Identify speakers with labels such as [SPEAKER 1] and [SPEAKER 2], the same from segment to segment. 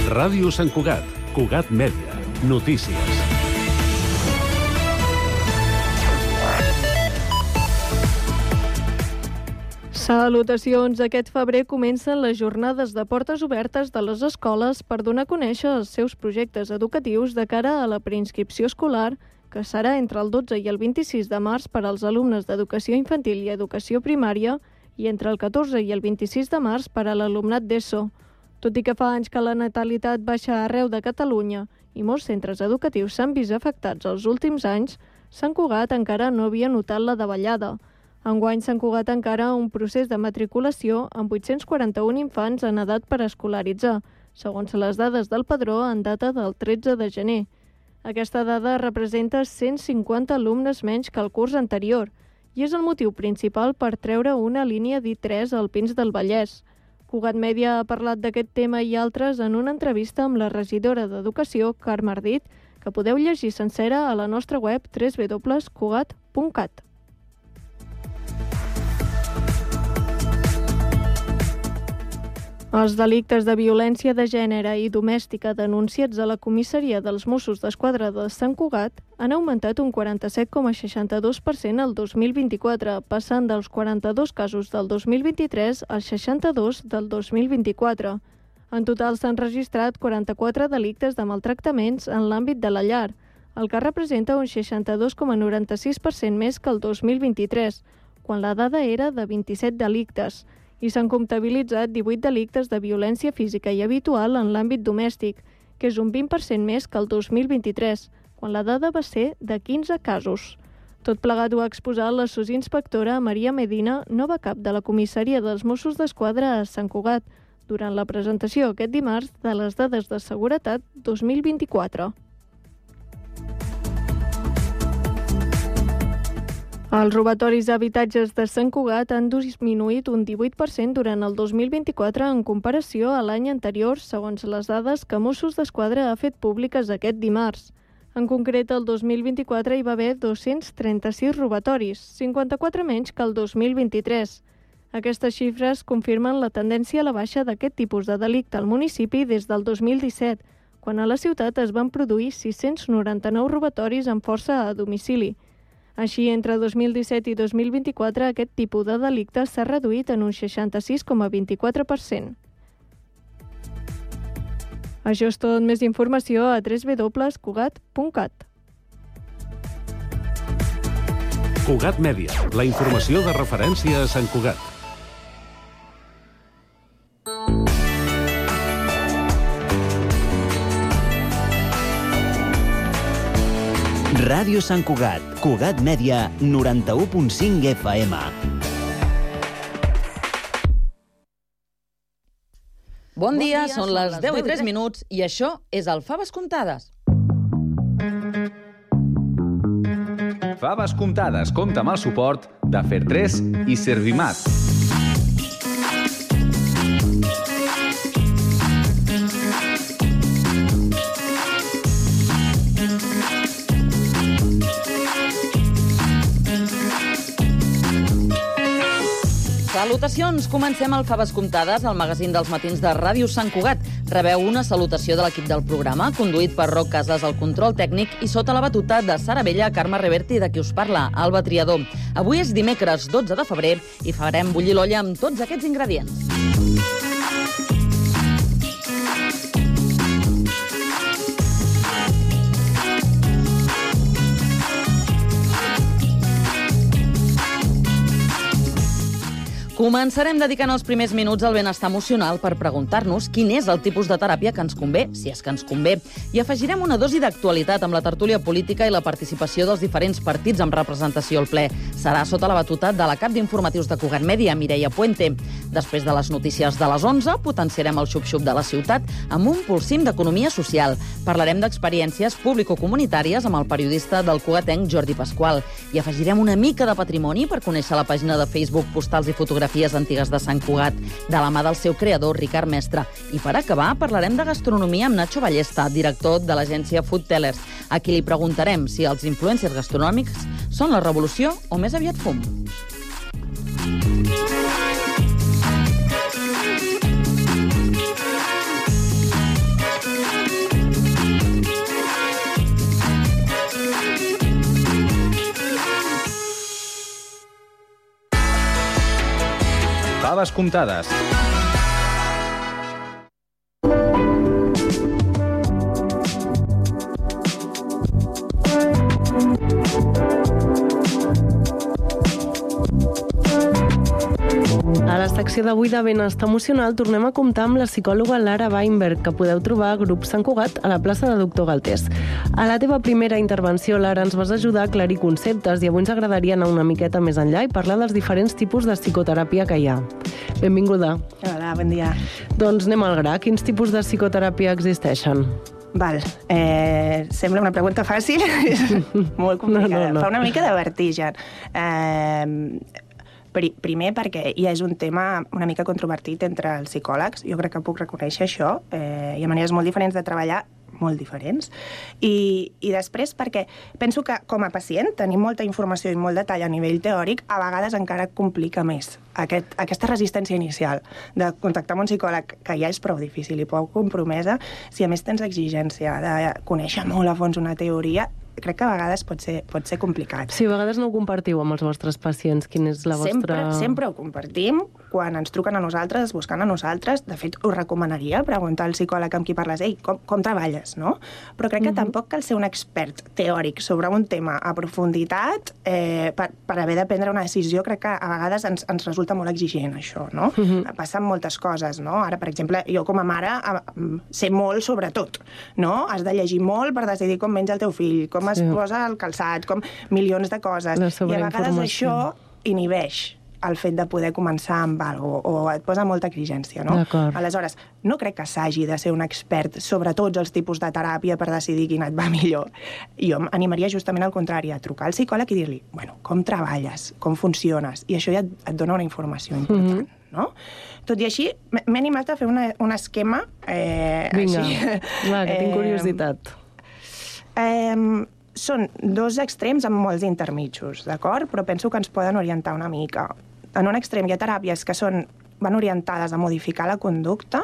[SPEAKER 1] Ràdio Sant Cugat, Cugat Mèdia, notícies.
[SPEAKER 2] Salutacions! Aquest febrer comencen les jornades de portes obertes de les escoles per donar a conèixer els seus projectes educatius de cara a la preinscripció escolar, que serà entre el 12 i el 26 de març per als alumnes d'educació infantil i educació primària i entre el 14 i el 26 de març per a l'alumnat d'ESO. Tot i que fa anys que la natalitat baixa arreu de Catalunya i molts centres educatius s'han vist afectats els últims anys, Sant Cugat encara no havia notat la davallada. Enguany Sant Cugat encara un procés de matriculació amb 841 infants en edat per escolaritzar, segons les dades del padró en data del 13 de gener. Aquesta dada representa 150 alumnes menys que el curs anterior i és el motiu principal per treure una línia d'I3 al Pins del Vallès. Cugat Mèdia ha parlat d'aquest tema i altres en una entrevista amb la regidora d'Educació, Carme Ardit, que podeu llegir sencera a la nostra web www.cugat.cat. Els delictes de violència de gènere i domèstica denunciats a la comissaria dels Mossos d'Esquadra de Sant Cugat han augmentat un 47,62% el 2024, passant dels 42 casos del 2023 als 62 del 2024. En total s'han registrat 44 delictes de maltractaments en l'àmbit de la llar, el que representa un 62,96% més que el 2023, quan la dada era de 27 delictes, i s'han comptabilitzat 18 delictes de violència física i habitual en l'àmbit domèstic, que és un 20% més que el 2023, quan la dada va ser de 15 casos. Tot plegat ho ha exposat la sosinspectora Maria Medina, nova cap de la comissaria dels Mossos d'Esquadra a Sant Cugat, durant la presentació aquest dimarts de les dades de seguretat 2024. Els robatoris d'habitatges de Sant Cugat han disminuït un 18% durant el 2024 en comparació a l'any anterior, segons les dades que Mossos d'Esquadra ha fet públiques aquest dimarts. En concret, el 2024 hi va haver 236 robatoris, 54 menys que el 2023. Aquestes xifres confirmen la tendència a la baixa d'aquest tipus de delicte al municipi des del 2017, quan a la ciutat es van produir 699 robatoris amb força a domicili. Així, entre 2017 i 2024, aquest tipus de delicte s'ha reduït en un 66,24%. Això és tot. Més informació a www.cugat.cat.
[SPEAKER 1] Cugat Mèdia, la informació de referència a Sant Cugat.
[SPEAKER 3] Ràdio Sant Cugat, Cugat Mèdia, 91.5 FM.
[SPEAKER 4] Bon dia, són les 10:03 i això és el Faves Comptades.
[SPEAKER 5] Faves Comptades compta amb el suport de Fer3 i Servimat.
[SPEAKER 4] Salutacions! Comencem el Faves Comptades, el magazín dels matins de Ràdio Sant Cugat. Rebeu una salutació de l'equip del programa, conduït per Roc Casas al control tècnic i sota la batuta de Sara Bella, Carme Reverti, de qui us parla, Alba Triador. Avui és dimecres 12 de febrer i farem bullir l'olla amb tots aquests ingredients. Començarem dedicant els primers minuts al benestar emocional per preguntar-nos quin és el tipus de teràpia que ens convé, si és que ens convé, i afegirem una dosi d'actualitat amb la tertúlia política i la participació dels diferents partits amb representació al ple. Serà sota la batuta de la cap d'informatius de Cugat Mèdia, Mireia Puente. Després de les notícies de les 11, potenciarem el xup-xup de la ciutat amb un polsim d'economia social. Parlarem d'experiències público-comunitàries amb el periodista del cugatenc Jordi Pasqual i afegirem una mica de patrimoni per conèixer la pàgina de Facebook Postals i Fotografies antigues de Sant Cugat, de la mà del seu creador, Ricard Mestre. I per acabar, parlarem de gastronomia amb Nacho Ballesta, director de l'agència Food Tellers, a qui li preguntarem si els influencers gastronòmics són la revolució o més aviat fum.
[SPEAKER 5] Faves comptades.
[SPEAKER 6] A la secció d'avui de Benestar Emocional tornem a comptar amb la psicòloga Lara Weinberg, que podeu trobar a Grup Sant Cugat a la plaça de Doctor Galtés. A la teva primera intervenció, Lara, ens vas ajudar a aclarir conceptes i avui ens agradaria anar una miqueta més enllà i parlar dels diferents tipus de psicoteràpia que hi ha. Benvinguda.
[SPEAKER 7] Hola, bon dia.
[SPEAKER 6] Doncs anem al gra. Quins tipus de psicoteràpia existeixen?
[SPEAKER 7] Val, sembla una pregunta fàcil, molt complicada,
[SPEAKER 6] No.
[SPEAKER 7] Fa una mica de vertigen. Primer perquè ja és un tema una mica controvertit entre els psicòlegs, jo crec que puc reconèixer això, hi ha maneres molt diferents de treballar, molt diferents, i després perquè penso que com a pacient tenir molta informació i molt detall a nivell teòric a vegades encara complica més aquesta resistència inicial de contactar amb un psicòleg, que ja és prou difícil i prou compromesa, si a més tens exigència de conèixer molt a fons una teoria, crec que a vegades pot ser complicat.
[SPEAKER 6] Sí, a vegades no ho compartiu amb els vostres pacients. Quina és la vostra...
[SPEAKER 7] Sempre ho compartim. Quan ens truquen a nosaltres, buscant a nosaltres, de fet, us recomanaria preguntar al psicòleg amb qui parles, com treballes, no? Però crec que tampoc cal ser un expert teòric sobre un tema a profunditat per haver de prendre una decisió. Crec que a vegades ens resulta molt exigent, això, no? Passen moltes coses, no? Ara, per exemple, jo com a mare sé molt sobre tot, no? Has de llegir molt per decidir com menja el teu fill, com es posa el calçat, com milions de coses. I a vegades això inhibeix el fet de poder començar amb alguna cosa, o et posa molta exigència, no? Aleshores, no crec que s'hagi de ser un expert sobre tots els tipus de teràpia per decidir quina et va millor. Jo animaria justament al contrari, a trucar al psicòleg i dir-li, bueno, com treballes, com funciones, i això ja et dona una informació important, no? Tot i així, m'he animat a fer un esquema...
[SPEAKER 6] Vinga, va, que tinc curiositat.
[SPEAKER 7] Són dos extrems amb molts intermitjos, d'acord? Però penso que ens poden orientar una mica. En un extrem hi ha teràpies que van orientades a modificar la conducta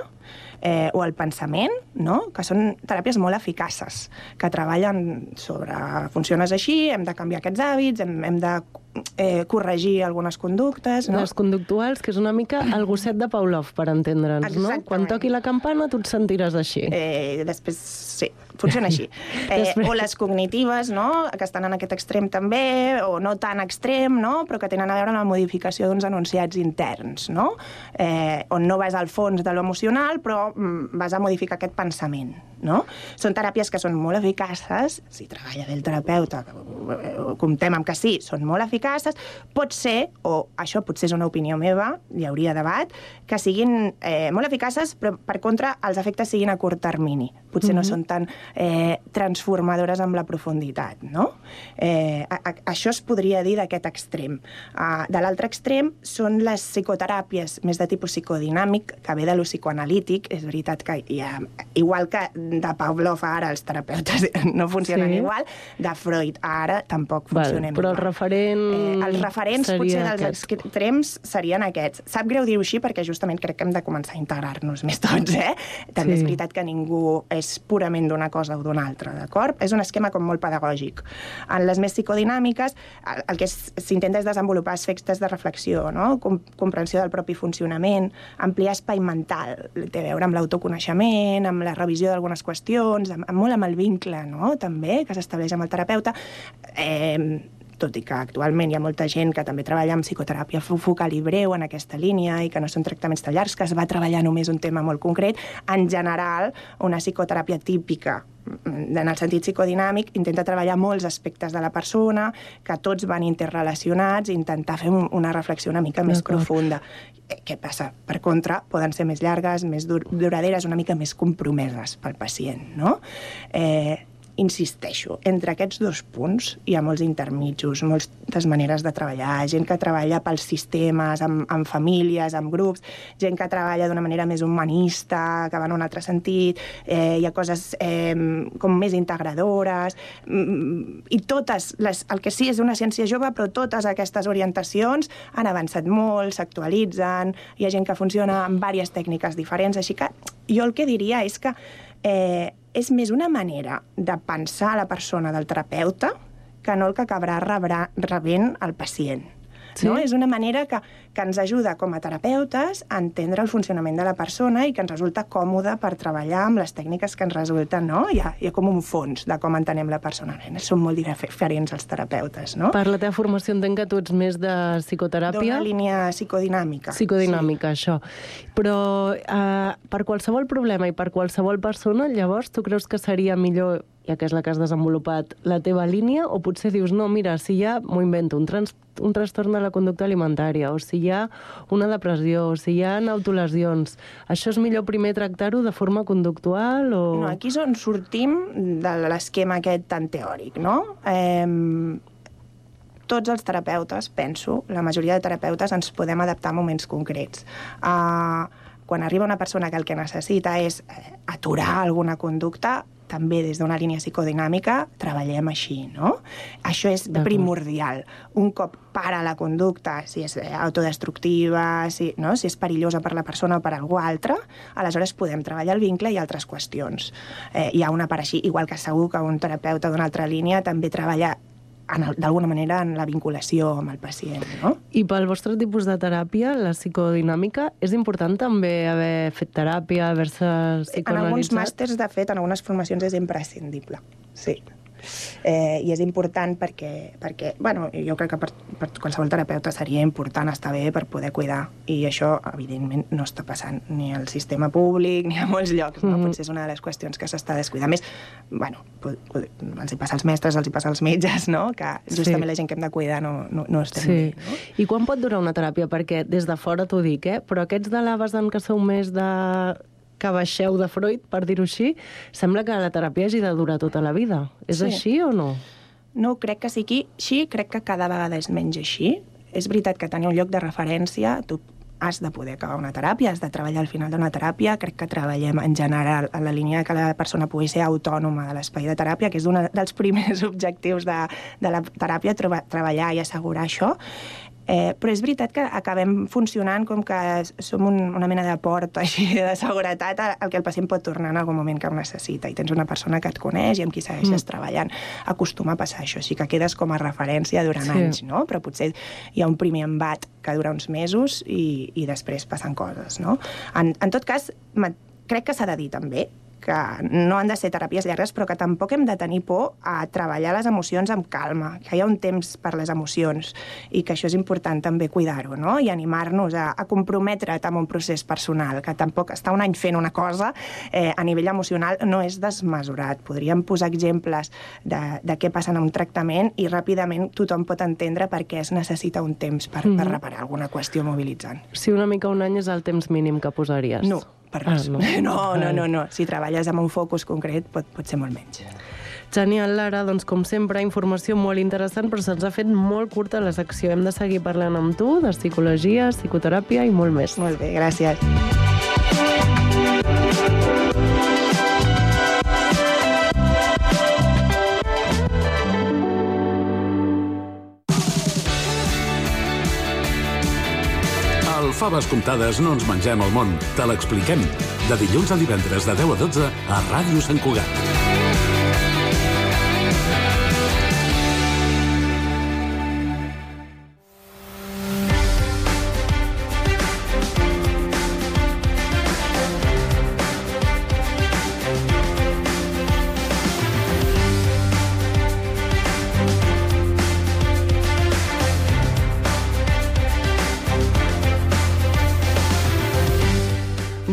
[SPEAKER 7] o el pensament, no? Que són teràpies molt eficaces, que treballen sobre funciones així, hem de canviar aquests hàbits, hem de corregir algunes conductes, no?
[SPEAKER 6] Les conductuals, que és una mica el gosset de Pavlov, per entendre'ns, no?
[SPEAKER 7] Exactament.
[SPEAKER 6] Quan toqui la campana tu et sentiràs així.
[SPEAKER 7] Després, sí, funciona així. O les cognitives, no?, que estan en aquest extrem també, o no tan extrem, no?, però que tenen a veure amb la modificació d'uns enunciats interns, no?, on no vas al fons de l'emocional, però vas a modificar aquest pensament, no? Són teràpies que són molt eficaces, si treballa bé el terapeuta, comptem amb que sí, són molt eficaces, pot ser, o això potser és una opinió meva, hi hauria debat, que siguin molt eficaces, però per contra els efectes siguin a curt termini. Potser no són tan transformadores amb la profunditat, no? Això es podria dir d'aquest extrem. De l'altre extrem són les psicoteràpies més de tipus psicodinàmic, que ve de lo psicoanalític. És veritat que igual que de Pavlov ara els terapeutes no funcionen igual, de Freud ara tampoc funcionen igual.
[SPEAKER 6] Però
[SPEAKER 7] els referents potser dels extrems serien aquests. Sap greu dir-ho així perquè justament crec que hem de començar a integrar-nos més tots, També és veritat que ningú és purament d'una cosa o d'una altra, d'acord? És un esquema com molt pedagògic. En les més psicodinàmiques, el que s'intenta és desenvolupar aspectes de reflexió, no? Comprensió del propi funcionament, ampliar espai mental, té a veure amb l'autoconeixement, amb la revisió d'algunes qüestions, molt amb el vincle, no?, també, que s'estableix amb el terapeuta, tot i que actualment hi ha molta gent que també treballa amb psicoteràpia focal i breu en aquesta línia i que no són tractaments tan llargs, que es va treballar només un tema molt concret. En general, una psicoteràpia típica, en el sentit psicodinàmic, intenta treballar molts aspectes de la persona, que tots van interrelacionats, i intentar fer una reflexió una mica més profunda. Què passa? Per contra, poden ser més llargues, més duraderes, una mica més compromeses pel pacient, no? Insisteixo, entre aquests dos punts hi ha molts intermitjos, moltes maneres de treballar, gent que treballa pels sistemes, amb famílies, amb grups, gent que treballa d'una manera més humanista, que va en un altre sentit, hi ha coses com més integradores, i totes, el que sí és una ciència jove, però totes aquestes orientacions han avançat molt, s'actualitzen, hi ha gent que funciona amb diverses tècniques diferents, així que jo el que diria és que és més una manera de pensar a la persona del terapeuta que no el que acabarà rebent el pacient. no? És una manera que ens ajuda com a terapeutes a entendre el funcionament de la persona i que ens resulta còmode per treballar amb les tècniques que ens resulten, no? Hi ha com un fons de com entenem la persona. Som molt diferents els terapeutes, no?
[SPEAKER 6] Per la teva formació entenc que tu ets més de psicoteràpia.
[SPEAKER 7] D'una línia psicodinàmica.
[SPEAKER 6] Psicodinàmica, sí. Això. Però per qualsevol problema i per qualsevol persona, llavors, tu creus que seria millor, ja que és la que has desenvolupat, la teva línia, o potser dius, no, mira, si hi ha, m'ho invento, un trastorn de la conducta alimentària, o si hi ha una depressió, o si hi ha autolesions, això és millor primer tractar-ho de forma conductual o...
[SPEAKER 7] No, aquí és on sortim de l'esquema aquest tan teòric, no? Tots els terapeutes, penso, la majoria de terapeutes ens podem adaptar a moments concrets. Quan arriba una persona que el que necessita és aturar alguna conducta, també des d'una línia psicodinàmica treballem així, no? Això és primordial. Un cop para la conducta, si és autodestructiva, si és perillosa per la persona o per algú altre, aleshores podem treballar el vincle i altres qüestions. Hi ha una part així, igual que segur que un terapeuta d'una altra línia també treballa d'alguna manera en la vinculació amb el pacient, no?
[SPEAKER 6] I pel vostre tipus de teràpia, la psicodinàmica, és important també haver fet teràpia, haver-se psicoanalitzat?
[SPEAKER 7] En alguns màsters, de fet, en algunes formacions és imprescindible, sí. I és important perquè bueno, jo crec que per qualsevol terapeuta seria important estar bé per poder cuidar, i això, evidentment, no està passant ni al sistema públic ni a molts llocs, no? Potser és una de les qüestions que s'està descuidant. A més, bueno, els hi passa als mestres, els hi passa als metges, no? Que justament la gent que hem de cuidar no estem bé, no?
[SPEAKER 6] I quan pot durar una teràpia? Perquè des de fora t'ho dic, però aquests de l'Avasdan que sou més de... que baixeu de Freud, per dir-ho així, sembla que la teràpia hagi de durar tota la vida. És així o no?
[SPEAKER 7] No, crec que sigui així, crec que cada vegada és menys així. És veritat que tenir un lloc de referència, tu has de poder acabar una teràpia, has de treballar al final d'una teràpia. Crec que treballem en general en la línia que la persona pugui ser autònoma de l'espai de teràpia, que és un dels primers objectius de la teràpia, treballar i assegurar això. Però és veritat que acabem funcionant com que som una mena de porta així de seguretat al que el pacient pot tornar en algun moment que ho necessita, i tens una persona que et coneix i amb qui segueixes treballant. Acostuma a passar això, així que quedes com a referència durant anys, no? Però potser hi ha un primer embat que dura uns mesos i després passen coses, no? En tot cas, crec que s'ha de dir també que no han de ser teràpies llargues, però que tampoc hem de tenir por a treballar les emocions amb calma, que hi ha un temps per les emocions i que això és important també cuidar-ho, no? I animar-nos a comprometre't amb un procés personal, que tampoc estar un any fent una cosa a nivell emocional no és desmesurat. Podríem posar exemples de què passa en un tractament i ràpidament tothom pot entendre per què es necessita un temps per reparar alguna qüestió mobilitzant.
[SPEAKER 6] Si una mica un any és el temps mínim que posaries.
[SPEAKER 7] No. Per res. No. Si treballes amb un focus concret pot ser molt menys.
[SPEAKER 6] Genial, Lara. Doncs, com sempre, informació molt interessant, però se'ns ha fet molt curta la secció. Hem de seguir parlant amb tu de psicologia, psicoteràpia i molt més.
[SPEAKER 7] Molt bé, gràcies.
[SPEAKER 1] Faves comptades no ens mengem el món, te l'expliquem. De dilluns a divendres de 10 a 12 a Ràdio Sant Cugat.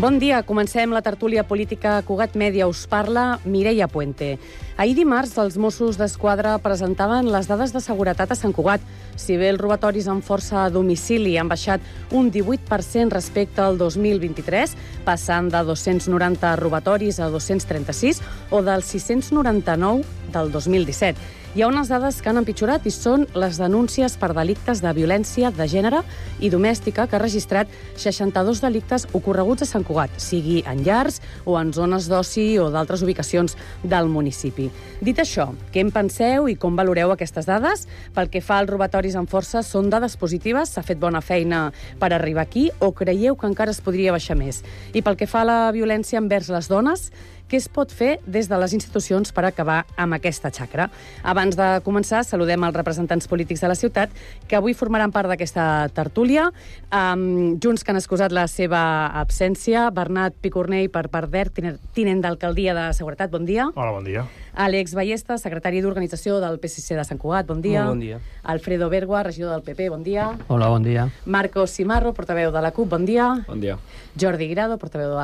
[SPEAKER 8] Bon dia, comencem la tertúlia política Cugat Mèdia. Us parla Mireia Puente. Ahir dimarts, els Mossos d'Esquadra presentaven les dades de seguretat a Sant Cugat. Si bé els robatoris amb força a domicili han baixat un 18% respecte al 2023, passant de 290 robatoris a 236 o dels 699 del 2017. Hi ha unes dades que han empitjorat i són les denúncies per delictes de violència de gènere i domèstica, que ha registrat 62 delictes ocorreguts a Sant Cugat, sigui en llars o en zones d'oci o d'altres ubicacions del municipi. Dit això, què en penseu i com valoreu aquestes dades? Pel que fa als robatoris amb força, són dades positives? S'ha fet bona feina per arribar aquí o creieu que encara es podria baixar més? I pel que fa a la violència envers les dones, què es pot fer des de les institucions per acabar amb aquesta xacra. Abans de començar, saludem els representants polítics de la ciutat que avui formaran part d'aquesta tertúlia. Junts que han excusat la seva absència. Bernat Picornell, per part d'ERC, tinent d'Alcaldia de Seguretat, bon dia.
[SPEAKER 9] Hola, bon dia.
[SPEAKER 8] Àlex Ballesta, secretari d'Organització del PSC de Sant Cugat, bon dia.
[SPEAKER 10] Molt bon dia.
[SPEAKER 8] Alfredo Bergua, regidor del PP, bon dia.
[SPEAKER 10] Hola, bon dia.
[SPEAKER 8] Marcos Cimarro, portaveu de la CUP, bon dia.
[SPEAKER 10] Bon dia.
[SPEAKER 8] Jordi Grado, portaveu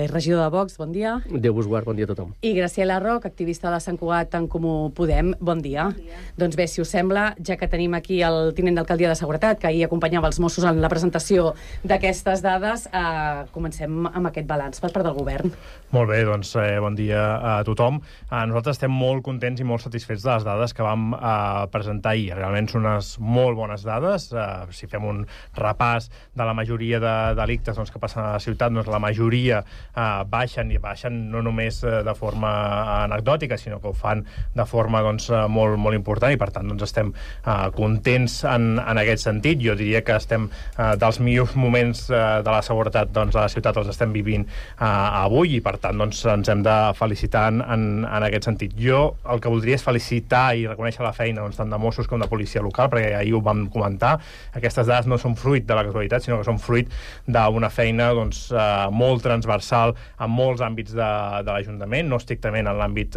[SPEAKER 8] regidor de Vox, bon dia.
[SPEAKER 10] Déu vos guard, bon dia a tothom.
[SPEAKER 8] I Graciela Roc, activista de Sant Cugat en Comú Podem, bon dia. Doncs bé, si us sembla, ja que tenim aquí el tinent d'Alcaldia de Seguretat, que ahir acompanyava els Mossos en la presentació d'aquestes dades, comencem amb aquest balanç per part del govern.
[SPEAKER 9] Molt bé, doncs bon dia a tothom. Nosaltres estem molt contents i molt satisfets de les dades que vam presentar ahir. Realment són unes molt bones dades. Si fem un repàs de la majoria de delictes que passen a la ciutat, doncs la majoria baixen, i baixen no només de forma anecdòtica, sinó que ho fan de forma molt, molt important, i per tant estem contents en aquest sentit. Jo diria que estem dels millors moments de la seguretat de la ciutat els estem vivint avui, i per tant ens hem de felicitar en aquest sentit. Jo el que voldria és felicitar i reconèixer la feina tant de Mossos com de policia local, perquè ahir ho vam comentar. Aquestes dades no són fruit de la casualitat, sinó que són fruit d'una feina molt transversal en molts àmbits de l'Ajuntament, no estrictament en l'àmbit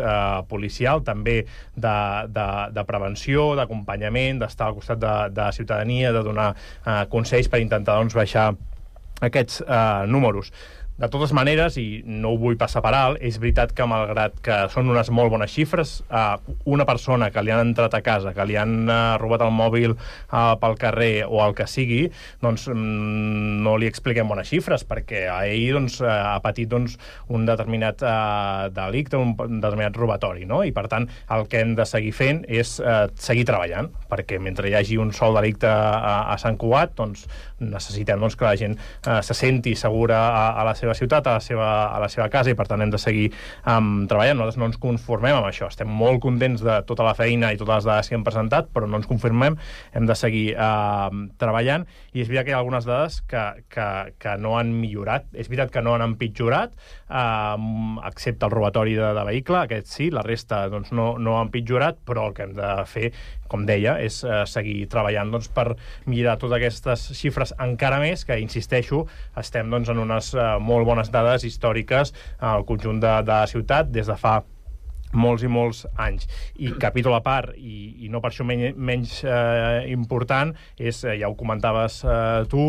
[SPEAKER 9] policial, també de prevenció, d'acompanyament, d'estar al costat de la ciutadania, de donar consells per intentar baixar aquests números. De totes maneres, i no ho vull passar per alt, és veritat que malgrat que són unes molt bones xifres, una persona que li han entrat a casa, que li han robat el mòbil pel carrer o el que sigui, no li expliquem bones xifres, perquè ell ha patit un determinat delicte, un determinat robatori, no? I per tant el que hem de seguir fent és seguir treballant, perquè mentre hi hagi un sol delicte a Sant Cugat, necessitem que la gent se senti segura a la seva ciutat, a la seva casa, i per tant hem de seguir treballant. Nosaltres no ens conformem amb això. Estem molt contents de tota la feina i totes les dades que hem presentat, però no ens conformem, hem de seguir treballant, i és veritat que hi ha algunes dades que no han millorat. És veritat que no han empitjorat, excepte el robatori de vehicle, aquest sí, la resta no han empitjorat, però el que hem de fer, com deia, és seguir treballant per millorar totes aquestes xifres encara més, que, insisteixo, estem en unes molt bones dades històriques al conjunt de la ciutat des de fa molts i molts anys. I capítol a part, i no per això menys important, és, ja ho comentaves tu,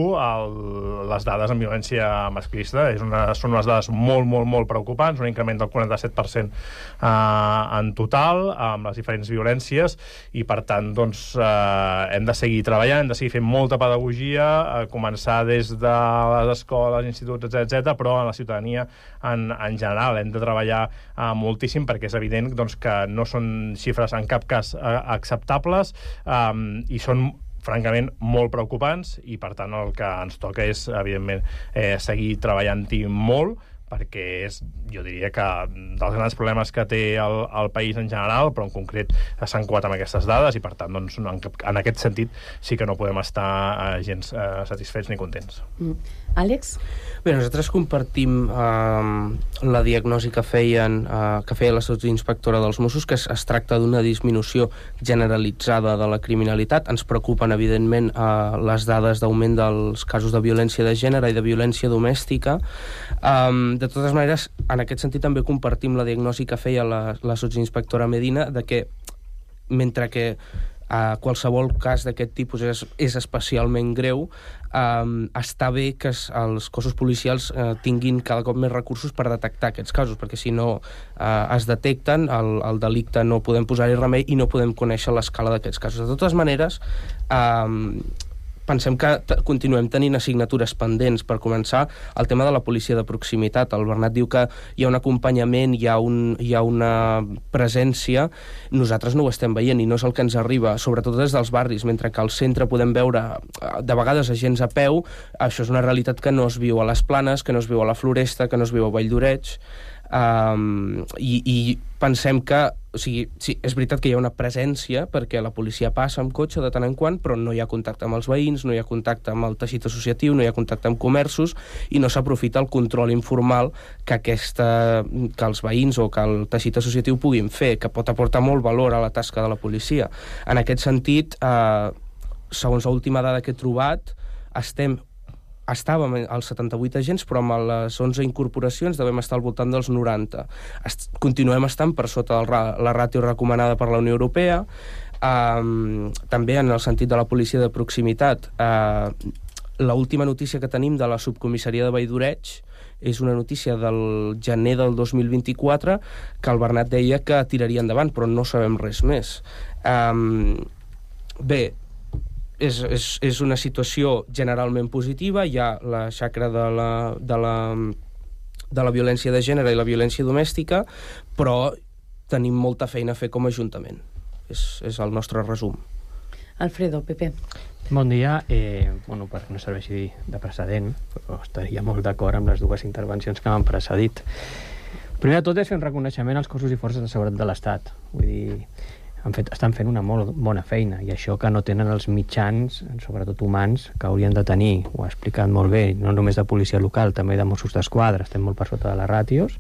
[SPEAKER 9] les dades en violència masclista. Són unes dades molt, molt, molt preocupants, un increment del 47% en total, amb les diferents violències, i per tant hem de seguir treballant, hem de seguir fent molta pedagogia, començar des de les escoles, instituts, etc., però en la ciutadania en general. Hem de treballar moltíssim, perquè és evident que no són xifres en cap cas acceptables, i són francament molt preocupants, i per tant el que ens toca és, evidentment, seguir treballant-hi molt, perquè és, jo diria que dels grans problemes que té el país en general, però en concret s'han cuat amb aquestes dades, i per tant en aquest sentit sí que no podem estar gens satisfets ni contents.
[SPEAKER 8] Àlex?
[SPEAKER 10] Bé, nosaltres compartim la diagnosi que feia la sotsinspectora dels Mossos, que es tracta d'una disminució generalitzada de la criminalitat. Ens preocupen, evidentment, les dades d'augment dels casos de violència de gènere i de violència domèstica. De totes maneres, en aquest sentit també compartim la diagnosi que feia la sotsinspectora Medina, de que mentre que qualsevol cas d'aquest tipus és especialment greu, està bé que els cossos policials tinguin cada cop més recursos per detectar aquests casos, perquè si no es detecten, el delicte no podem posar-hi remei i no podem conèixer l'escala d'aquests casos. De totes maneres, pensem que continuem tenint assignatures pendents. Per començar, el tema de la policia de proximitat. El Bernat diu que hi ha un acompanyament, hi ha una presència. Nosaltres no ho estem veient i no és el que ens arriba, sobretot des dels barris, mentre que al centre podem veure de vegades agents a peu. Això és una realitat que no es viu a les Planes, que no es viu a la Floresta, que no es viu a Vall d'Oreig. I pensem que O sigui, sí, és veritat que hi ha una presència perquè la policia passa amb cotxe de tant en quant, però no hi ha contacte amb els veïns, no hi ha contacte amb el teixit associatiu, no hi ha contacte amb comerços i no s'aprofita el control informal que els veïns o que el teixit associatiu puguin fer, que pot aportar molt valor a la tasca de la policia. En aquest sentit, segons l'última dada que he trobat, estàvem als 78 agents, però amb les 11 incorporacions devem estar al voltant dels 90. Continuem estant per sota la ràtio recomanada per la Unió Europea. També en el sentit de la policia de proximitat, l'última notícia que tenim de la subcomissaria de Valldoreig és una notícia del gener del 2024 que el Bernat deia que tiraria endavant, però no sabem res més. Bé, és una situació generalment positiva, hi ha la xacra de la violència de gènere i la violència domèstica, però tenim molta feina a fer com a Ajuntament. És el nostre resum.
[SPEAKER 8] Alfredo, Pepe.
[SPEAKER 11] Bon dia. Perquè no serveixi de precedent, però estaria molt d'acord amb les dues intervencions que m'han precedit. Primer de tot és fer un reconeixement als cossos i forces de seguretat de l'Estat. Vull dir, estan fent una molt bona feina, i això que no tenen els mitjans, sobretot humans, que haurien de tenir. Ho ha explicat molt bé, no només de policia local, també de Mossos d'Esquadra, estem molt per sota de les ràtios,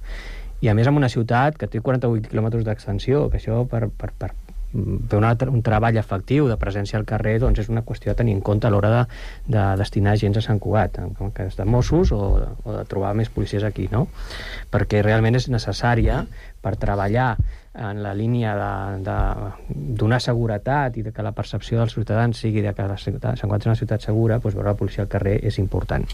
[SPEAKER 11] i a més en una ciutat que té 48 quilòmetres d'extensió, que això per fer un treball efectiu de presència al carrer, doncs és una qüestió a tenir en compte a l'hora de destinar agents a Sant Cugat, en cas de Mossos o de trobar més policies aquí, no? Perquè realment és necessària per treballar en la línia de donar seguretat i de que la percepció dels ciutadans sigui de que Sant Cugat és una ciutat segura, doncs veure la policia al carrer és important.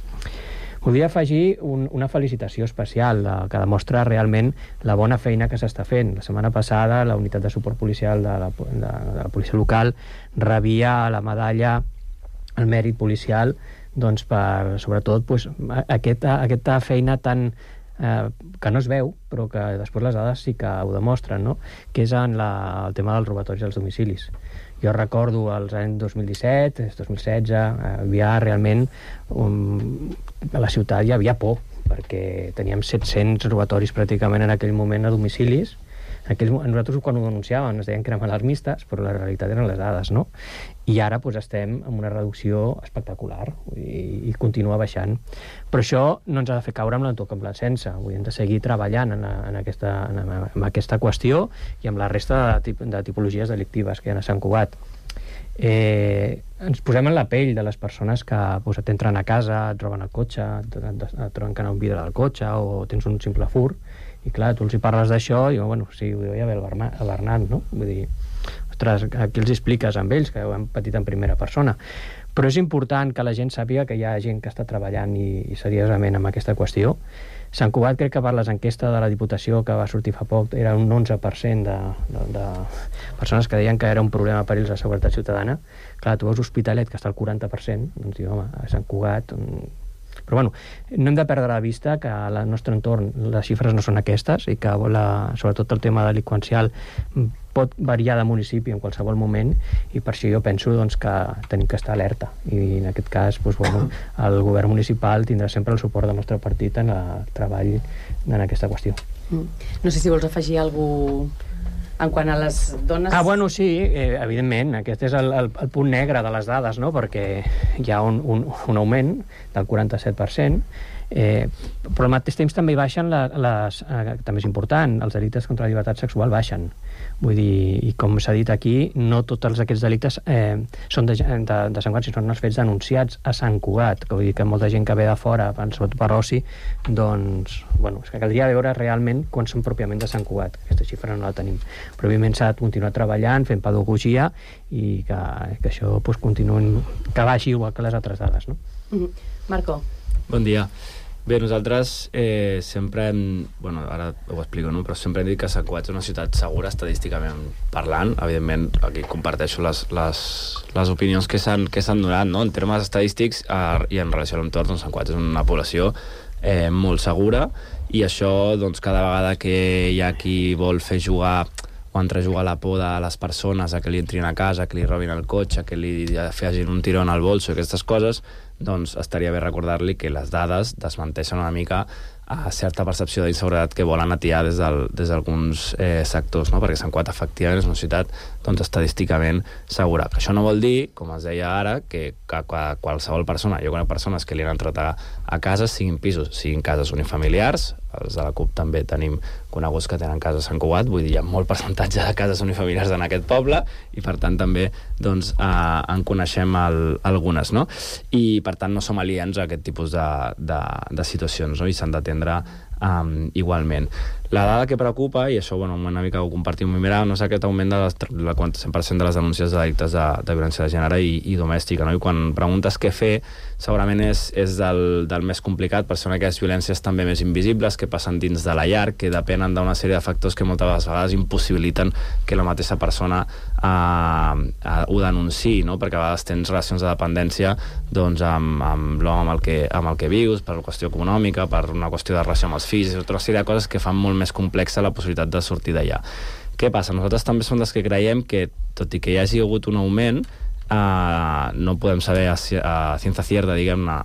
[SPEAKER 11] Volia afegir una felicitació especial que demostra realment la bona feina que s'està fent. La setmana passada la unitat de suport policial de la policia local rebia la medalla al mèrit policial, doncs per, sobretot, aquesta feina tan que no es veu, però que després les dades sí que ho demostren, no? Que és en el tema dels robatoris als domicilis. Jo recordo els anys 2017, 2016, havia realment a la ciutat hi havia por, perquè teníem 700 robatoris pràcticament en aquell moment a domicilis. Nosaltres quan ho denunciàvem ens deien que eren alarmistes, però la realitat eren les dades, no? I ara estem en una reducció espectacular i continua baixant. Però això no ens ha de fer caure amb l'autocomplacença. Hem de seguir treballant en aquesta qüestió i amb la resta de tipologies delictives que hi ha a Sant Cugat. Ens posem en la pell de les persones que t'entren a casa, et roben el cotxe, et trenquen un vidre del cotxe o tens un simple fur. I clar, tu els hi parles d'això i bueno, sí, ho deia bé el Bernat, no? Vull dir, ostres, aquí els expliques amb ells, que ho hem patit en primera persona. Però és important que la gent sàpiga que hi ha gent que està treballant i seriosament amb aquesta qüestió. Sant Cugat, crec que per les enquestes de la Diputació que va sortir fa poc, era un 11% de persones que deien que era un problema per ells la seguretat ciutadana. Clar, tu veus Hospitalet, que està al 40%, doncs diu, home, a Sant Cugat... Però bueno, no hem de perdre de vista que al nostre entorn les xifres no són aquestes i que sobretot el tema delinqüencial pot variar de municipi en qualsevol moment, i per això jo penso doncs, que tenim que estar alerta, i en aquest cas doncs, bueno, el govern municipal tindrà sempre el suport del nostre partit en el treball en aquesta qüestió.
[SPEAKER 8] No sé si vols afegir alguna cosa en quant a les dones...
[SPEAKER 11] Bueno, sí, evidentment, aquest és el punt negre de les dades, no? Perquè hi ha un augment del 47%, però al mateix temps també baixen també és important, els delictes contra la llibertat sexual baixen. Vull dir, i com s'ha dit aquí, no tots aquests delictes són de Sant Cugat, sinó són els fets denunciats a Sant Cugat, que vull dir que molta gent que ve de fora, sobretot per oci, doncs, bueno, és que caldria veure realment quan són pròpiament de Sant Cugat. Aquesta xifra no la tenim. Però evidentment s'ha de continuar treballant, fent pedagogia, i que això doncs, continuï, que baixi igual que les altres dades, no?
[SPEAKER 8] Marco.
[SPEAKER 12] Bon dia. Bé, nosaltres sempre bueno, ara ho explico, no? Però sempre hem dit que Sant Cugat és una ciutat segura estadísticament parlant. Evidentment, aquí comparteixo les opinions que s'han donat, no? En termes estadístics i en relació a l'entorn, doncs Sant Cugat és una població molt segura, i això, doncs, cada vegada que hi ha qui vol fer jugar o entrejugar la por de les persones a que li entrin a casa, que li robin el cotxe, que li facin un tirón al bolso i aquestes coses, doncs estaria bé recordar-li que les dades desmenteixen una mica certa percepció d'inseguretat que volen atiar des d'alguns sectors, no? Perquè Sant Cugat efectivament és una ciutat estadísticament segura. Això no vol dir, com es deia ara, que qualsevol persona, jo conec persones que li han entrat a cases, siguin pisos, siguin cases unifamiliars, els de la CUP també tenim coneguts que tenen cases a Sant Cugat, vull dir, hi ha molt percentatge de cases unifamiliars en aquest poble i per tant també en coneixem algunes, no? I per tant no som aliens a aquest tipus de situacions, no? I s'han d'atendre igualment. La dada que preocupa, i això una mica ho compartim amb Mira, no és aquest augment del 100% de les denúncies de delictes de violència de gènere i domèstica, no? I quan preguntes què fer, segurament és del més complicat, per ser aquelles violències també més invisibles que passen dins de la llar, que depenen d'una sèrie de factors que moltes vegades impossibiliten que la mateixa persona ho denunciï, no? Perquè a vegades tens relacions de dependència amb l'home amb el que vius, per una qüestió econòmica, per una qüestió de relació amb els fills, tota una sèrie de coses que fan molt més complexa la possibilitat de sortir d'allà. Què passa? Nosaltres també som dels que creiem que, tot i que hi hagi hagut un augment, no podem saber a ciència cierta, diguem-ne,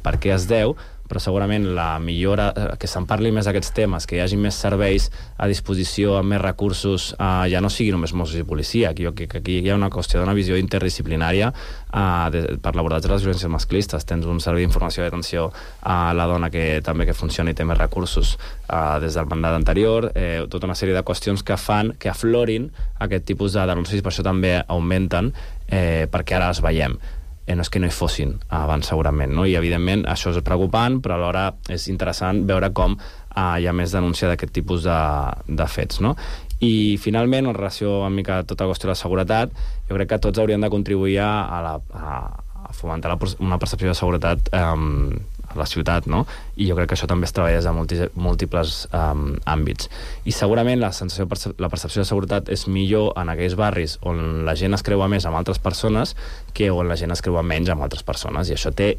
[SPEAKER 12] per què es deu, però segurament la millora, que se'n parli més d'aquests temes, que hi hagi més serveis a disposició, amb més recursos, ja no sigui només Mossos i policia, que aquí hi ha una qüestió d'una visió interdisciplinària per l'abordatge de les violències masclistes. Tens un servei d'informació i d'atenció a la dona que també que funciona i té més recursos des del mandat anterior, tota una sèrie de qüestions que fan que aflorin aquest tipus de denúncies i per això també augmenten, perquè ara les veiem. No és que no hi fossin abans segurament, no? I evidentment això és preocupant, però alhora és interessant veure com hi ha més denúncia d'aquest tipus de fets, no? I finalment, en relació amb tota la qüestió de la seguretat, jo crec que tots hauríem de contribuir a fomentar una percepció de seguretat a la ciutat, no? I jo crec que això també es treballa des de múltiples àmbits. I segurament la percepció de seguretat és millor en aquells barris on la gent es creua més amb altres persones que on la gent es creua menys amb altres persones. I això té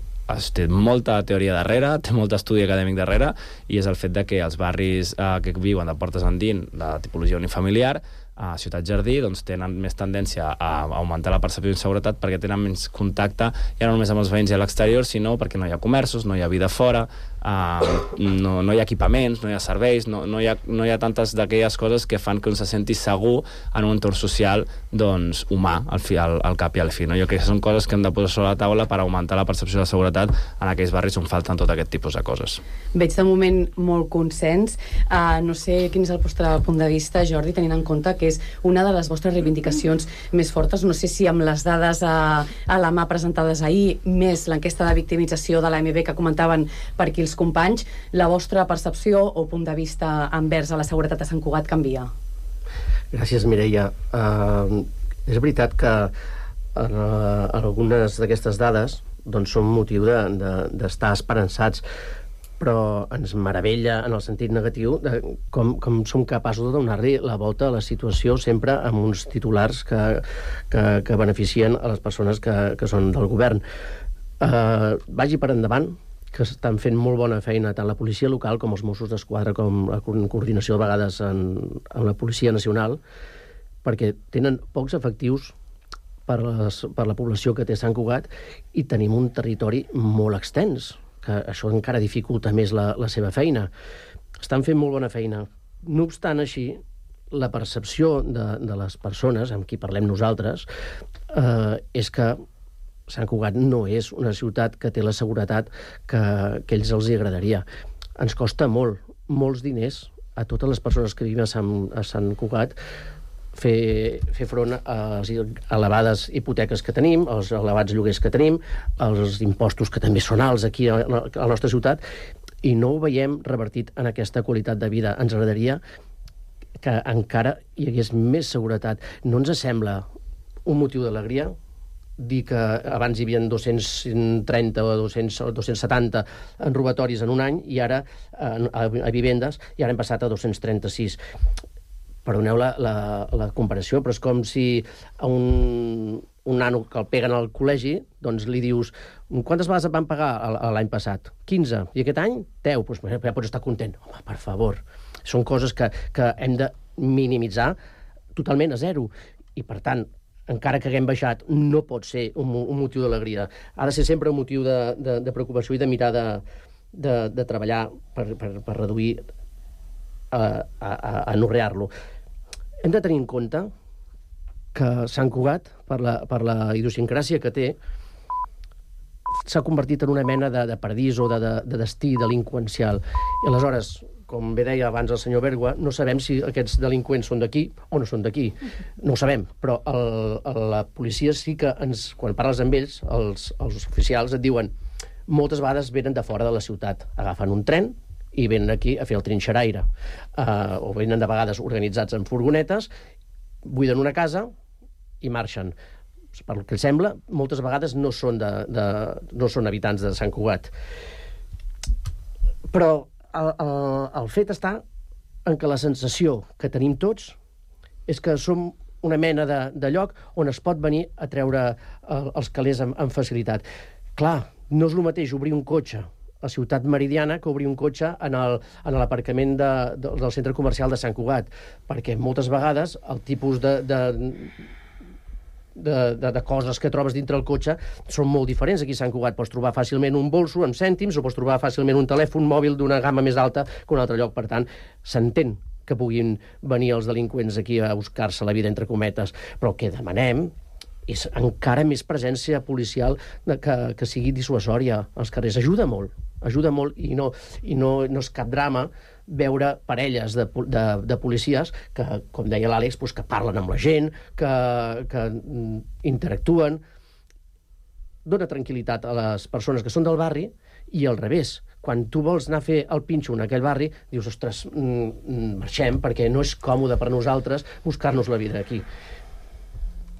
[SPEAKER 12] molta teoria darrere, té molt estudi acadèmic darrere, i és el fet de que els barris que viuen de portes endins, la tipologia unifamiliar, a Ciutat Jardí, doncs tenen més tendència a augmentar la percepció d'inseguretat perquè tenen menys contacte, ja no només amb els veïns i a l'exterior, sinó perquè no hi ha comerços, no hi ha vida fora, no hi ha equipaments, no hi ha serveis, no hi ha tantes d'aquelles coses que fan que un se senti segur en un entorn social humà, al cap i al fi. Jo crec que són coses que hem de posar sobre la taula per augmentar la percepció de seguretat en aquells barris on falten tot aquest tipus de coses.
[SPEAKER 8] Veig de moment molt consens. No sé quin és el vostre punt de vista, Jordi, tenint en compte que és una de les vostres reivindicacions més fortes. No sé si amb les dades a la mà presentades ahir, més l'enquesta de victimització de l'AMB que comentaven per aquí els companys, la vostra percepció o punt de vista envers a la seguretat a Sant Cugat canvia?
[SPEAKER 13] Gràcies, Mireia. És veritat que algunes d'aquestes dades són motiu d'estar esperançats, però ens meravella en el sentit negatiu de com som capaços de donar-li la volta a la situació sempre amb uns titulars que beneficien a les persones que són del govern. Vagi per endavant, que estan fent molt bona feina tant la policia local com els Mossos d'Esquadra, com la coordinació de vegades amb la Policia Nacional, perquè tenen pocs efectius per la població que té Sant Cugat i tenim un territori molt extens, que això encara dificulta més la seva feina. Estan fent molt bona feina. No obstant així, la percepció de les persones amb qui parlem nosaltres és que Sant Cugat no és una ciutat que té la seguretat que a ells els agradaria. Ens costa molts diners a totes les persones que vivim a Sant Cugat fer front a les elevades hipoteques que tenim, als elevats lloguers que tenim, als impostos que també són alts aquí a la nostra ciutat, i no ho veiem revertit en aquesta qualitat de vida. Ens agradaria que encara hi hagués més seguretat. No ens sembla un motiu d'alegria dir que abans hi havia 230 o 270 robatoris en un any i ara a vivendes, i ara hem passat a 236. Perdoneu la comparació, però és com si a un nano que el peguen al col·legi, doncs li dius, quantes vegades et van pagar l'any passat? 15. I aquest any? 10. Doncs ja pots estar content. Home, per favor. Són coses que hem de minimitzar totalment a zero. I, per tant, encara que haguem baixat, no pot ser un motiu d'alegria. Ha de ser sempre un motiu de preocupació i de mirar de treballar per reduir, a anorrear-lo. Hem de tenir en compte que Sant Cugat, per la idiosincràsia que té, s'ha convertit en una mena de paradís o de destí delinqüencial. I aleshores, com bé deia abans el senyor Bergua, no sabem si aquests delinqüents són d'aquí o no són d'aquí. No ho sabem, però la policia sí que quan parles amb ells, els oficials et diuen moltes vegades venen de fora de la ciutat, agafen un tren i venen aquí a fer el trinxeraire. O venen de vegades organitzats en furgonetes, buiden una casa i marxen. Pel que sembla, moltes vegades no són habitants de Sant Cugat. Però el fet està en que la sensació que tenim tots és que som una mena de lloc on es pot venir a treure els calés amb facilitat. Clar, no és el mateix obrir un cotxe a Ciutat Meridiana que obrir un cotxe en l'aparcament del centre comercial de Sant Cugat, perquè moltes vegades el tipus de coses que trobes dintre el cotxe són molt diferents. Aquí a Sant Cugat pots trobar fàcilment un bolso amb cèntims o pots trobar fàcilment un telèfon mòbil d'una gamma més alta que un altre lloc. Per tant, s'entén que puguin venir els delinqüents aquí a buscar-se la vida, entre cometes, però el que demanem és encara més presència policial que sigui dissuasòria als carrers. Ajuda molt i no és cap drama veure parelles de policies que, com deia l'Àlex, que parlen amb la gent, que interactuen. Dona tranquil·litat a les persones que són del barri i al revés. Quan tu vols anar a fer el pinxo en aquell barri, dius, ostres, marxem, perquè no és còmode per nosaltres buscar-nos la vida aquí.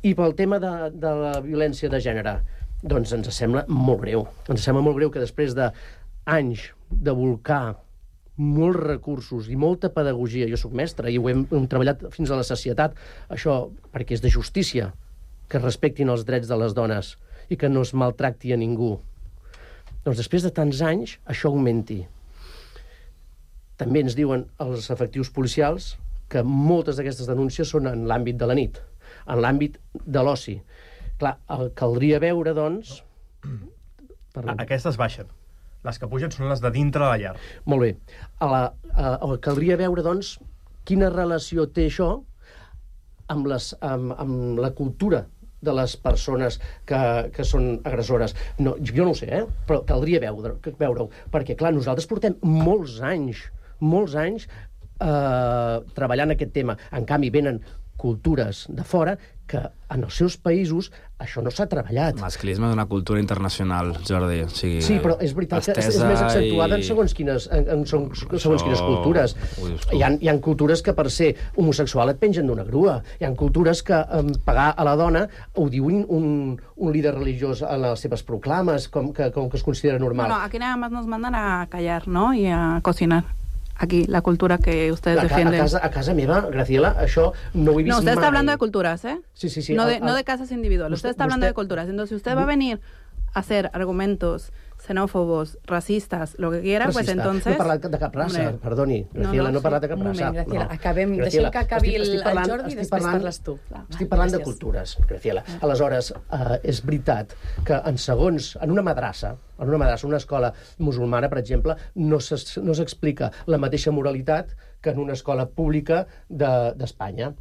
[SPEAKER 13] I pel tema de la violència de gènere, doncs ens sembla molt greu. Ens sembla molt greu que després d'anys de volcar molts recursos i molta pedagogia, jo soc mestre i ho hem treballat fins a la sacietat, això perquè és de justícia, que es respectin els drets de les dones i que no es maltracti a ningú. Doncs després de tants anys, això augmenti. També ens diuen els efectius policials que moltes d'aquestes denúncies són en l'àmbit de la nit, en l'àmbit de l'oci. Clar, caldria veure, doncs...
[SPEAKER 9] Aquestes baixen. Les que pugen són les de dintre de la llar.
[SPEAKER 13] Molt bé. Caldria veure, doncs, quina relació té això amb la cultura de les persones que són agressores. No, jo no ho sé, però caldria veure-ho. Perquè, clar, nosaltres portem molts anys treballant aquest tema. En canvi, venen cultures de fora que en els seus països això no s'ha treballat.
[SPEAKER 12] Masclisme és una cultura internacional, Jordi.
[SPEAKER 13] Sí, però és veritat que és més accentuada en segons quines cultures. Hi ha cultures que per ser homosexual et pengen d'una grua. Hi ha cultures que pagar a la dona ho diu un líder religiós en les seves proclames, com que es considera normal.
[SPEAKER 14] Bueno, aquí nada más nos mandan a callar, ¿no? Y a cocinar. Aquí, la cultura que ustedes defienden.
[SPEAKER 13] A casa meva, Graciela, això no ho he vist mai.
[SPEAKER 14] No, usted está hablando de culturas, ¿eh?
[SPEAKER 13] Sí.
[SPEAKER 14] No de casas individuales. Usted está hablando de culturas. Entonces, si usted va a venir a hacer argumentos xenòfobos, racistes, lo que quiera, pues entonces...
[SPEAKER 13] No he parlat de cap raça, perdoni. Graciela, no he parlat de cap raça.
[SPEAKER 8] Un moment, Graciela, acabem. Deixem que acabi el Jordi i després parles tu.
[SPEAKER 13] Estic parlant de cultures, Graciela. Aleshores, és veritat que en una madrassa, una escola musulmana, per exemple, no s'explica la mateixa moralitat que en una escola pública d'Espanya.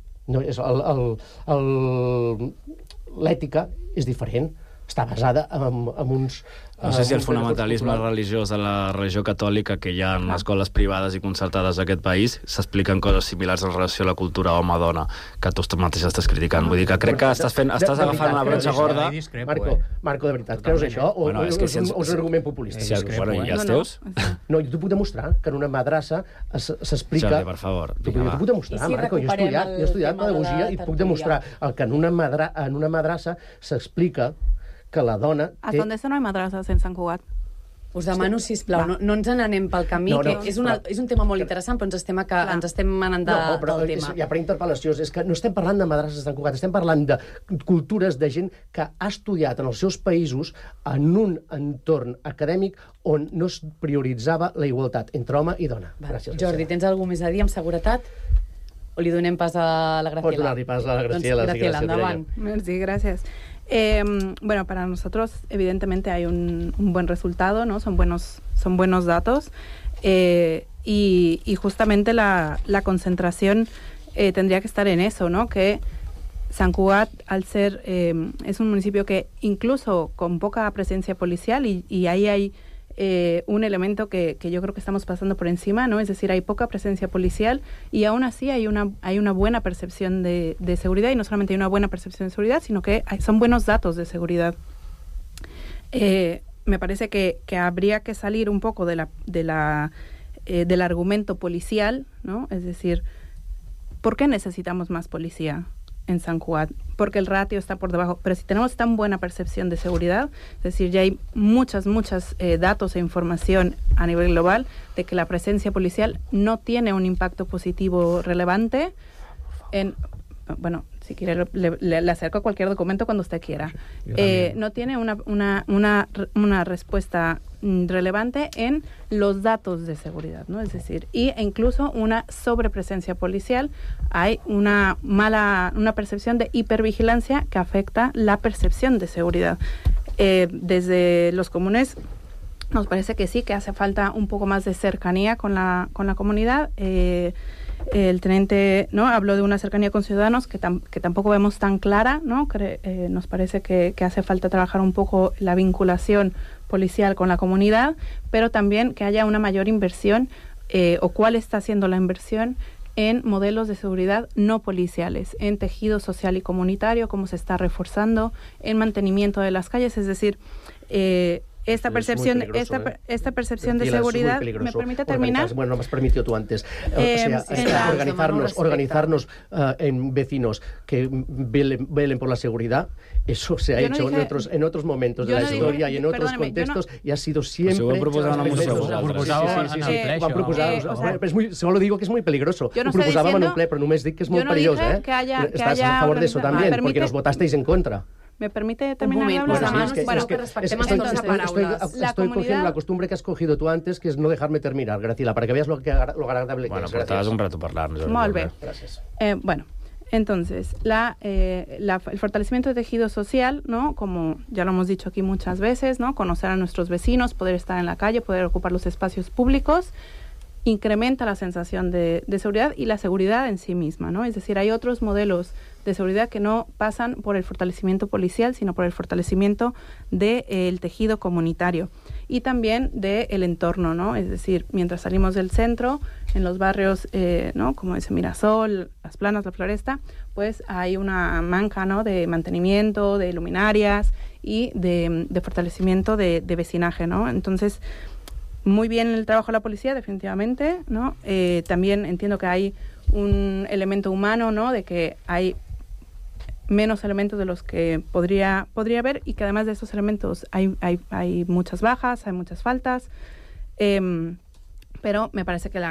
[SPEAKER 13] L'ètica és diferent. Està basada en uns...
[SPEAKER 12] No sé si el fonamentalisme religiós de la religió catòlica que hi ha en escoles privades i concertades d'aquest país s'expliquen coses similars en relació a la cultura home-dona que tu mateix estàs criticant. Vull dir que crec que estàs agafant una bretxa gorda.
[SPEAKER 13] Marco, de veritat, creus això? O és un argument populista?
[SPEAKER 12] Bueno, i els teus?
[SPEAKER 13] No, jo t'ho puc demostrar, que en una madrassa s'explica...
[SPEAKER 12] Jordi, per favor.
[SPEAKER 13] T'ho puc demostrar, Marco. Jo he estudiat pedagogia i puc demostrar que en una madrassa s'explica que la dona...
[SPEAKER 14] ¿Hasta dónde no hay madrazas en Sant Cugat?
[SPEAKER 8] Us demano, sisplau, no ens n'anem pel camí, que és un tema molt interessant, però ens estem anant del tema.
[SPEAKER 13] Ja per interpel·lació, és que no estem parlant de madrasses de Sant Cugat, estem parlant de cultures de gent que ha estudiat en els seus països en un entorn acadèmic on no es prioritzava la igualtat entre home i dona.
[SPEAKER 8] Gràcies. Jordi, tens alguna més a dir amb seguretat? O li donem pas a la Graciela?
[SPEAKER 13] Pots donar-li pas a la Graciela.
[SPEAKER 8] Doncs, Graciela, endavant.
[SPEAKER 14] Merci, gràcies. Bueno, para nosotros evidentemente hay un buen resultado, ¿no? Son buenos datos y justamente la concentración tendría que estar en eso, ¿no? Que Sant Cugat, al ser, es un municipio que incluso con poca presencia policial y ahí hay un elemento que yo creo que estamos pasando por encima, ¿no? Es decir, hay poca presencia policial y aún así hay una buena percepción de seguridad, y no solamente hay una buena percepción de seguridad, sino que son buenos datos de seguridad. Me parece que habría que salir un poco del argumento policial, ¿no? Es decir, ¿por qué necesitamos más policía en Sant Cugat? Porque el ratio está por debajo. Pero si tenemos tan buena percepción de seguridad, es decir, ya hay muchos datos e información a nivel global de que la presencia policial no tiene un impacto positivo relevante en... Bueno, si quiere le acerco cualquier documento cuando usted quiera. No tiene una respuesta relevante en los datos de seguridad, ¿no? Es decir, e incluso una sobrepresencia policial. Hay una percepción de hipervigilancia que afecta la percepción de seguridad. Desde los comunes nos parece que sí, que hace falta un poco más de cercanía con la comunidad. El teniente, ¿no?, habló de una cercanía con ciudadanos que tampoco vemos tan clara, ¿no? Nos parece que hace falta trabajar un poco la vinculación policial con la comunidad, pero también que haya una mayor inversión o cuál está haciendo la inversión en modelos de seguridad no policiales, en tejido social y comunitario, cómo se está reforzando, en mantenimiento de las calles, es decir... Esta percepción de seguridad, ¿me permite terminar?
[SPEAKER 13] Bueno, no me has permitido tú antes. Organizarnos en vecinos que velen por la seguridad, eso se ha hecho en otros momentos de la historia y en otros contextos y ha sido siempre... Solo digo que es muy peligroso. Ho proposàvem en un ple, però només dic que és molt perillós. Estàs a favor de eso también, porque nos votasteis en contra.
[SPEAKER 14] ¿Me permite terminar de hablar?
[SPEAKER 13] Estoy cogiendo la costumbre que has cogido tú antes, que es no dejarme terminar, Graciela, para que veas lo agradable que es.
[SPEAKER 12] Bueno, portaves un rato parlar.
[SPEAKER 14] Molt bé. Bueno, entonces, el fortalecimiento de tejido social, ¿no? Como ya lo hemos dicho aquí muchas veces, ¿no? Conocer a nuestros vecinos, poder estar en la calle, poder ocupar los espacios públicos, incrementa la sensación de seguridad y la seguridad en sí misma, ¿no? Es decir, hay otros modelos de seguridad que no pasan por el fortalecimiento policial, sino por el fortalecimiento del tejido comunitario y también del entorno, ¿no? Es decir, mientras salimos del centro, en los barrios, ¿no?, como ese Mirasol, Las Planas, La Floresta, pues hay una manca, ¿no?, de mantenimiento, de luminarias y de fortalecimiento de vecinaje, ¿no? Entonces, muy bien el trabajo de la policía, definitivamente, ¿no? También entiendo que hay un elemento humano, ¿no?, de que hay menos elementos de los que podría haber, y que además de esos elementos hay muchas bajas, hay muchas faltas, pero me parece que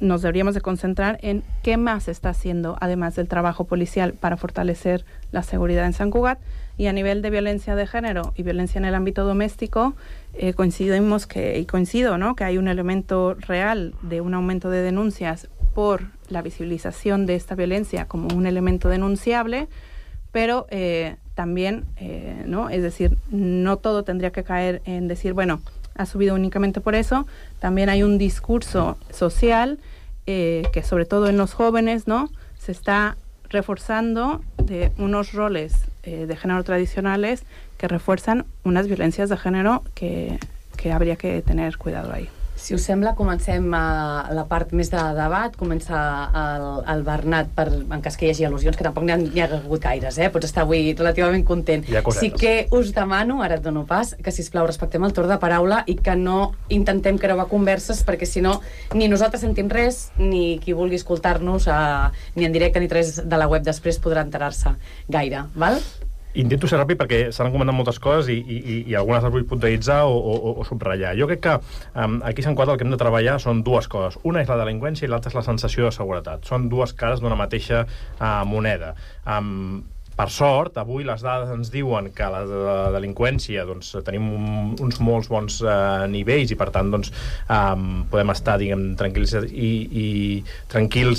[SPEAKER 14] nos deberíamos de concentrar en qué más se está haciendo, además del trabajo policial, para fortalecer la seguridad en Sant Cugat. Y a nivel de violencia de género y violencia en el ámbito doméstico, coincido, ¿no?, que hay un elemento real de un aumento de denuncias por la visibilización de esta violencia como un elemento denunciable, pero también, ¿no?, es decir, no todo tendría que caer en decir, bueno, ha subido únicamente por eso. También hay un discurso social que, sobre todo en los jóvenes, ¿no?, se está reforzando de unos roles de género tradicionales que refuerzan unas violencias de género que habría que tener cuidado ahí.
[SPEAKER 8] Si us sembla, comencem la part més de debat. Comença el Bernat, en cas que hi hagi al·lusions, que tampoc n'hi ha hagut gaires, pots estar avui relativament content. Sí que us demano, ara et dono pas, que sisplau respectem el torn de paraula i que no intentem creuar converses, perquè si no ni nosaltres sentim res, ni qui vulgui escoltar-nos ni en directe ni res de la web després podrà enterar-se gaire, val?
[SPEAKER 9] Intento ser ràpid perquè s'han comentat moltes coses i algunes les vull puntualitzar o subratllar. Jo crec que aquí a Sant Cugat el que hem de treballar són dues coses. Una és la delinqüència i l'altra és la sensació de seguretat. Són dues cares d'una mateixa moneda. Per sort, avui les dades ens diuen que la delinqüència, doncs, tenim uns molts bons nivells i, per tant, doncs, podem estar, diguem, tranquils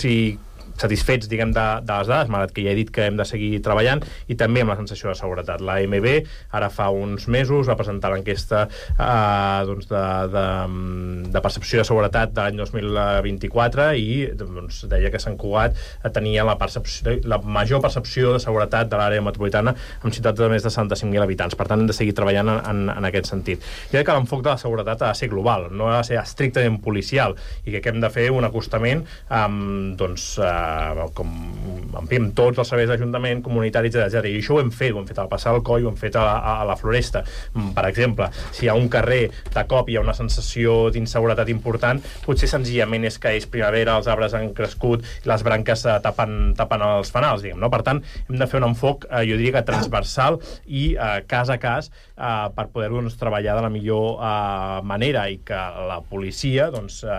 [SPEAKER 9] i satisfets, diguem, de les dades, malgrat que ja he dit que hem de seguir treballant, i també amb la sensació de seguretat. La AMB ara fa uns mesos va presentar l'enquesta doncs de percepció de seguretat de l'any 2024 i doncs, deia que Sant Cugat tenia la major percepció de seguretat de l'àrea metropolitana amb ciutats de més de 75.000 habitants. Per tant, hem de seguir treballant en aquest sentit. Jo crec que l'enfoc de la seguretat ha de ser global, no ha de ser estrictament policial, i que hem de fer un acostament amb tots els serveis d'Ajuntament, comunitaris, etc. I això ho hem fet al Passar del Coll, ho hem fet a la Floresta. Per exemple, si hi ha un carrer de cop hi ha una sensació d'inseguretat important, potser senzillament és que és primavera, els arbres han crescut, les branques tapen els fanals, diguem, no? Per tant, hem de fer un enfoc, jo diria que transversal i cas a cas per poder-ho treballar de la millor manera, i que la policia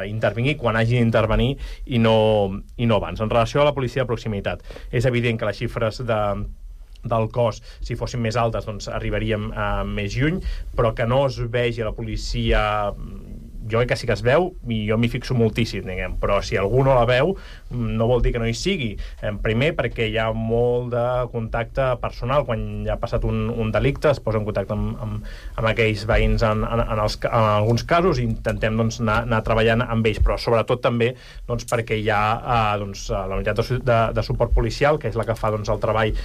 [SPEAKER 9] intervingui quan hagi d'intervenir i no abans. En relació a la policia de proximitat, és evident que les xifres del cos, si fossin més altes, doncs arribaríem més lluny, però que no es vegi a la policia... Jo crec que sí que es veu, i jo m'hi fixo moltíssim, diguem, però si algú no la veu, no vol dir que no hi sigui. Primer, perquè hi ha molt de contacte personal. Quan ja ha passat un delicte, es posa en contacte amb aquells veïns en alguns casos, i intentem anar treballant amb ells, però sobretot també perquè hi ha la unitat de suport policial, que és la que fa el treball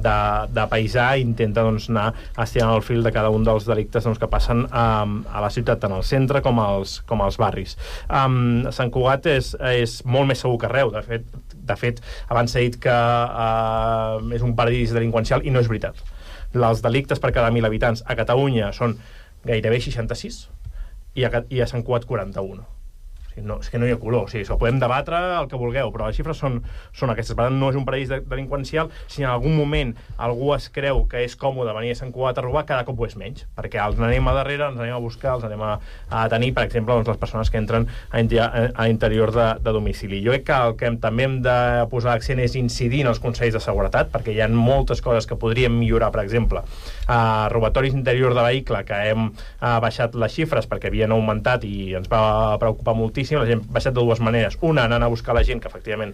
[SPEAKER 9] de paisà, i intenta anar estirant el fil de cada un dels delictes que passen a la ciutat, tant al centre com als barris. Sant Cugat és molt més segur que arreu. De fet, abans s'ha dit que és un paradís delinqüencial, i no és veritat. Els delictes per cada 1.000 habitants a Catalunya són gairebé 66 i a Sant Cugat 41. No, és que no hi ha color, ho podem debatre el que vulgueu, però les xifres són aquestes. Per tant, no és un paradís delinqüencial. Si en algun moment algú es creu que és còmode venir a Sant Cugat a robar, cada cop ho és menys, perquè els anem a darrere, els anem a buscar, els anem a tenir, per exemple, les persones que entren a l'interior de domicili. Jo crec que el que també hem de posar l'accent és incidir en els consells de seguretat, perquè hi ha moltes coses que podríem millorar. Per exemple, robatoris d'interior de vehicle, que hem baixat les xifres perquè havien augmentat i ens va preocupar moltíssim. La gent ha baixat de dues maneres. Una, anant a buscar la gent que efectivament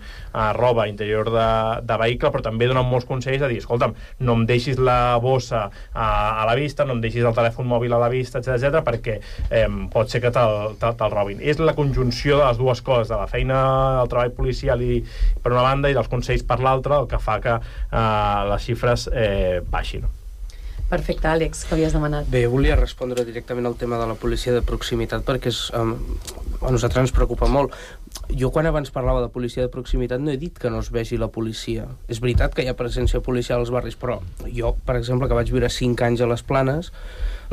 [SPEAKER 9] roba interior de vehicle, però també donen molts consells a dir, escolta'm, no em deixis la bossa a la vista, no em deixis el telèfon mòbil a la vista, etc, perquè pot ser que te'l robin. És la conjunció de les dues coses, de la feina, el treball policial per una banda, i dels consells per l'altra, el que fa que les xifres baixin.
[SPEAKER 8] Perfecte, Àlex, que havies demanat.
[SPEAKER 10] Bé, volia respondre directament al tema de la policia de proximitat, perquè a nosaltres ens preocupa molt. Jo, quan abans parlava de policia de proximitat, no he dit que no es vegi la policia. És veritat que hi ha presència policial als barris, però jo, per exemple, que vaig viure 5 anys a les Planes,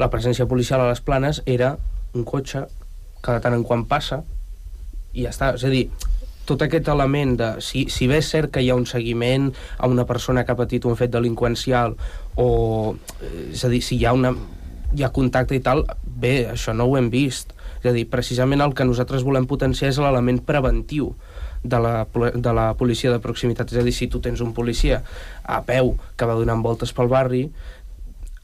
[SPEAKER 10] la presència policial a les Planes era un cotxe que de tant en quant passa i ja està. És a dir, tot aquest element de... Si bé és cert que hi ha un seguiment a una persona que ha patit un fet delinqüencial, o... és a dir, si hi ha contacte i tal, bé, això no ho hem vist. És a dir, precisament el que nosaltres volem potenciar és l'element preventiu de la policia de proximitat. És a dir, si tu tens un policia a peu que va donant voltes pel barri,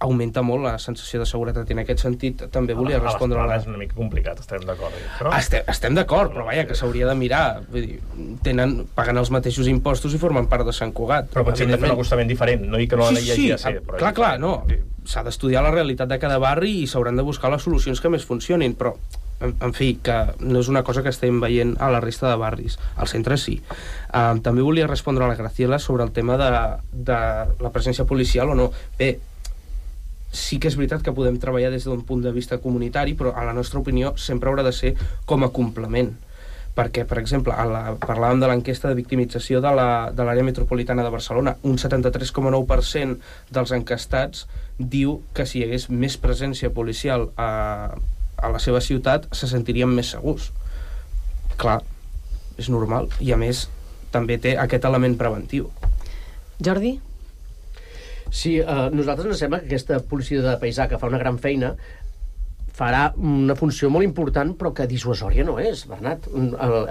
[SPEAKER 10] augmenta molt la sensació de seguretat, i en aquest sentit també volia respondre a la...
[SPEAKER 9] És una mica complicat, estem d'acord.
[SPEAKER 10] Estem d'acord, però vaja, que s'hauria de mirar. Vull dir, paguen els mateixos impostos i formen part de Sant Cugat.
[SPEAKER 9] Però potser hem de fer un acostament diferent, no dic que no la llei
[SPEAKER 10] ser. Clar, no. S'ha d'estudiar la realitat de cada barri i s'hauran de buscar les solucions que més funcionin, però en fi, que no és una cosa que estem veient a la resta de barris. Al centre sí. També volia respondre a la Graciela sobre el tema de la presència policial o no. Bé, sí que és veritat que podem treballar des d'un punt de vista comunitari, però a la nostra opinió sempre haurà de ser com a complement. Perquè, per exemple, parlàvem de l'enquesta de victimització de l'àrea metropolitana de Barcelona. Un 73,9% dels encastats diu que si hi hagués més presència policial a la seva ciutat se sentirien més segurs. Clar, és normal. I a més, també té aquest element preventiu.
[SPEAKER 8] Jordi?
[SPEAKER 13] Sí, a nosaltres ens sembla que aquesta policia de paisà, que fa una gran feina, farà una funció molt important, però que dissuasòria no és, Bernat.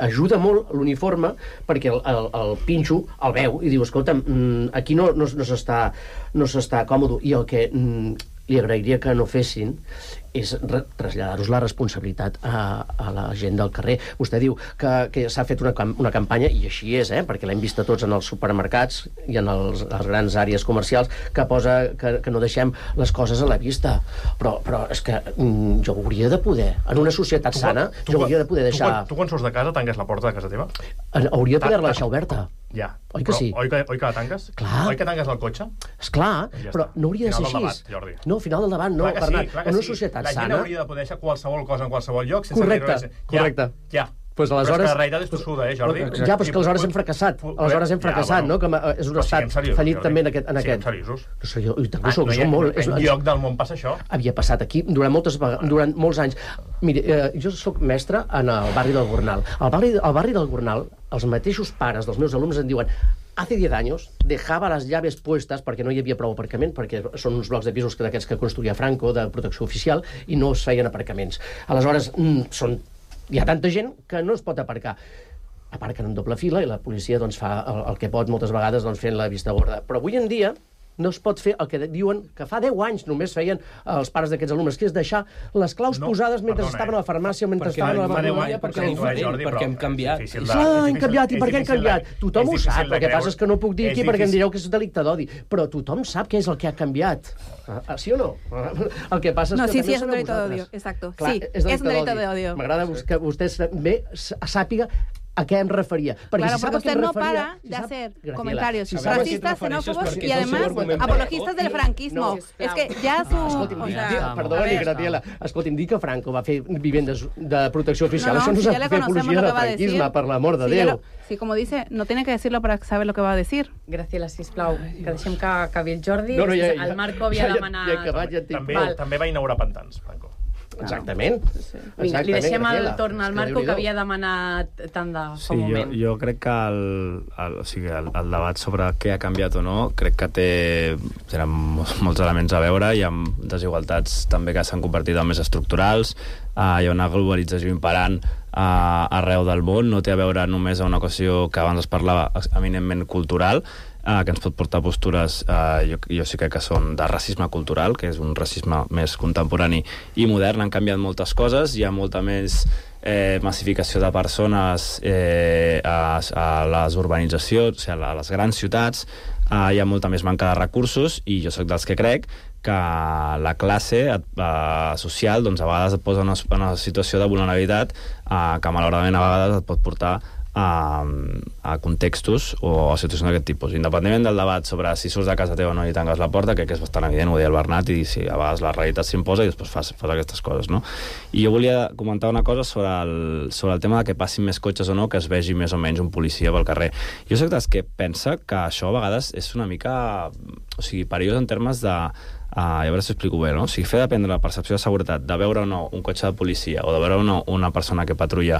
[SPEAKER 13] Ajuda molt l'uniforme, perquè el pinxo el veu i diu, escolta, aquí no s'està còmode. I li agrairia que no fessin és traslladar-nos la responsabilitat a la gent del carrer. Vostè diu que s'ha fet una campanya, i així és, perquè l'hem vist a tots en els supermercats i en les grans àrees comercials, que posa que no deixem les coses a la vista. Però és que jo hauria de poder, en una societat sana, jo hauria de poder deixar...
[SPEAKER 9] Tu quan surts de casa tanques la porta de casa teva?
[SPEAKER 13] Hauria de poder-la deixar oberta.
[SPEAKER 9] Ja.
[SPEAKER 13] Oi que sí?
[SPEAKER 9] Oi que la tanques?
[SPEAKER 13] Clar.
[SPEAKER 9] Oi que tanques el cotxe?
[SPEAKER 13] Esclar, però no hauria de ser així.
[SPEAKER 9] Final del debat, Jordi.
[SPEAKER 13] No, final del debat no, Bernat. En una societat sana...
[SPEAKER 9] La gent hauria de poder deixar qualsevol cosa en qualsevol lloc sense...
[SPEAKER 13] Correcte.
[SPEAKER 9] Ja.
[SPEAKER 13] Pues aleshores...
[SPEAKER 9] Però és que la realitat és tossuda, Jordi?
[SPEAKER 13] Ja, però és que aleshores hem fracassat. Aleshores hem fracassat, no? Que és un estat fallit també en aquest...
[SPEAKER 9] Siguem seriosos.
[SPEAKER 13] Som molt...
[SPEAKER 9] En lloc del món passa això.
[SPEAKER 13] Havia passat aquí durant molts anys. Mire, jo soc mestre en el barri del Gornal. Al barri del Gornal, els mateixos pares dels meus alumnes em diuen: hace 10 años dejaba las llaves puestas perquè no hi havia prou aparcament, perquè són uns blocs de pisos d'aquests que construïa Franco, de protecció oficial, i no es feien aparcaments. Aleshores, hi ha tanta gent que no es pot aparcar. Aparquen en doble fila i la policia doncs, fa el que pot moltes vegades fent la vista gorda. Però avui en dia no es pot fer el que diuen que fa 10 anys només feien els pares d'aquests alumnes, que és deixar les claus posades mentre estaven a la farmàcia o mentre estaven a la farmàcia.
[SPEAKER 10] Perquè hem canviat.
[SPEAKER 13] Hem canviat. I per què hem canviat? Tothom ho sap. El que passa és que no puc dir aquí perquè em direu que és delicte d'odi. Però tothom sap què és el que ha canviat. Sí o no? El que passa és que
[SPEAKER 14] sí, és un delicte d'odio. Exacto. Sí, és un delicte d'odio.
[SPEAKER 13] M'agrada que vostè bé sàpiga a què em referia.
[SPEAKER 14] Claro, porque usted no para de hacer comentarios racistas, xenófobos y además apologistas del franquismo. Es que ja su...
[SPEAKER 13] Perdoni, Graciela. Escolti'm, dir que Franco va fer vivendes de protecció oficial. Això no és fer apologia del franquisme, per l'amor de Déu.
[SPEAKER 14] Sí, como dice, no tiene que decirlo para saber lo que va a decir.
[SPEAKER 8] Graciela, sisplau, que deixem que acabi el Jordi. El Marco havia demanat...
[SPEAKER 9] També va inaugurar pantans, Franco.
[SPEAKER 13] Exactament.
[SPEAKER 8] Vinga, li deixem el torn al Marco, que havia demanat tant de fa un moment.
[SPEAKER 12] Jo crec que el debat sobre què ha canviat o no, crec que tenen molts elements a veure. Hi ha desigualtats també que s'han convertit en més estructurals, hi ha una globalització imperant arreu del món, no té a veure només a una qüestió que abans es parlava eminentment cultural, que ens pot portar postures, jo sí crec que són de racisme cultural, que és un racisme més contemporani i modern. Han canviat moltes coses, hi ha molta més massificació de persones a les urbanitzacions, o sigui, a les grans ciutats, hi ha molta més manca de recursos, i jo sóc dels que crec que la classe social doncs, a vegades et posa en una situació de vulnerabilitat que malauradament a vegades et pot portar a contextos o a situacions d'aquest tipus. Independentment del debat sobre si surts de casa teva o no i tanques la porta, crec que és bastant evident, ho deia el Bernat, i sí, a vegades la realitat s'imposa i després fas aquestes coses, no? I jo volia comentar una cosa sobre el tema de que passin més cotxes o no, que es vegi més o menys un policia pel carrer. Jo soc dels que pensa que això a vegades és una mica perillós en termes de a veure si ho explico bé, no? O sigui, fer dependre la percepció de seguretat de veure o no un cotxe de policia o de veure o no una persona que patrulla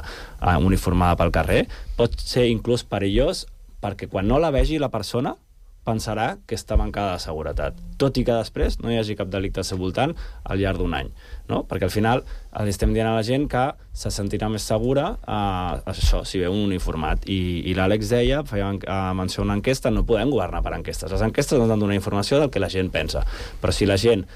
[SPEAKER 12] uniformada pel carrer pot ser inclús perillós, perquè quan no la vegi la persona pensarà que està mancada de seguretat, tot i que després no hi hagi cap delicte al seu voltant al llarg d'un any, no? Perquè al final li estem dient a la gent que se sentirà més segura això, si veu un uniformat. I l'Àlex deia, feia menció a una enquesta, no podem governar per enquestes. Les enquestes ens han de donar informació del que la gent pensa. Però si la gent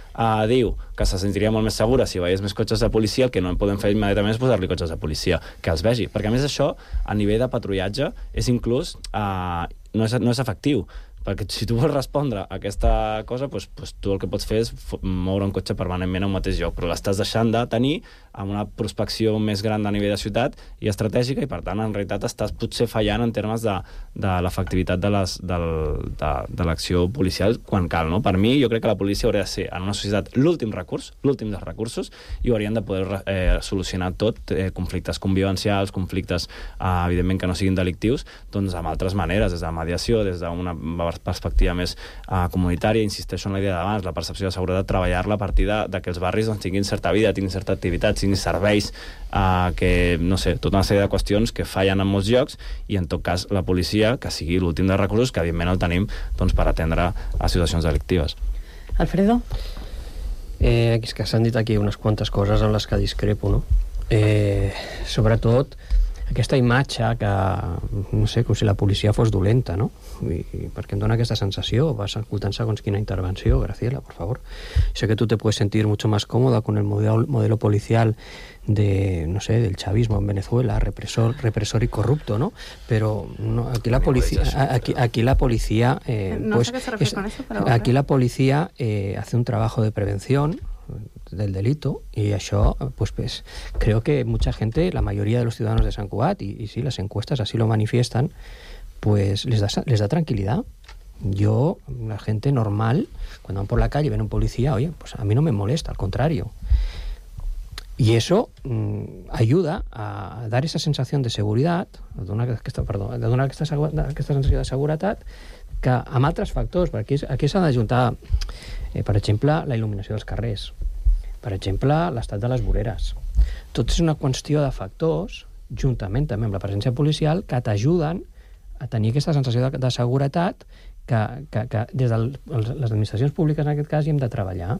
[SPEAKER 12] diu que se sentiria molt més segura si veiés més cotxes de policia, el que no en podem fer immediatament és posar-li cotxes de policia, que els vegi. Perquè a més això, a nivell de patrullatge, és inclús no és efectiu. Perquè si tu vols respondre a aquesta cosa, doncs tu el que pots fer és moure un cotxe permanentment a un mateix lloc, però l'estàs deixant de tenir amb una prospecció més gran a nivell de ciutat i estratègica, i per tant en realitat estàs potser fallant en termes de l'efectivitat de l'acció policial quan cal, no? Per mi, jo crec que la policia hauria de ser en una societat l'últim dels recursos, i haurien de poder solucionar tot, conflictes convivencials, conflictes evidentment que no siguin delictius, doncs amb altres maneres, des de mediació, des d'una perspectiva més comunitària. Insisteixo en la idea d'abans, la percepció de seguretat, treballar-la a partir de que els barris doncs, tinguin certa vida, tinguin certa activitat, tinguin serveis, que, no sé, tota una sèrie de qüestions que fallen en molts llocs, i en tot cas la policia, que sigui l'últim dels recursos, que evidentment el tenim doncs, per atendre a situacions delictives.
[SPEAKER 8] Alfredo?
[SPEAKER 11] És que s'han dit aquí unes quantes coses en les que discrepo, no? Sobretot aquesta imatge que, no sé, com si la policia fos dolenta, no? I perquè em dona aquesta sensació, vas escoltant segons quina intervenció, Graciela, por favor. Sé que tú te puedes sentir mucho más cómoda con el modelo policial de, no sé, del chavismo en Venezuela, represor y corrupto, ¿no? Pero no, aquí la policía, aquí la policía,
[SPEAKER 14] no sé qué se refiere con eso, pero
[SPEAKER 11] aquí la policía hace un trabajo de prevención del delito y això, pues creo que mucha gente, la mayoría de los ciudadanos de Sant Cugat, y sí, las encuestas así lo manifiestan, pues les da tranquilidad. Yo, la gente normal, cuando van por la calle y ven un policía, oye, pues a mí no me molesta, al contrario. Y eso ayuda a dar esa sensación de seguridad, de donar aquesta sensació de seguretat, que amb altres factors, perquè aquí s'ha d'ajuntar, per exemple, la il·luminació dels carrers, per exemple, l'estat de les voreres. Tot és una qüestió de factors, juntament també amb la presència policial, que t'ajuden a tenir aquesta sensació de seguretat que des de les administracions públiques, en aquest cas, hi hem de treballar.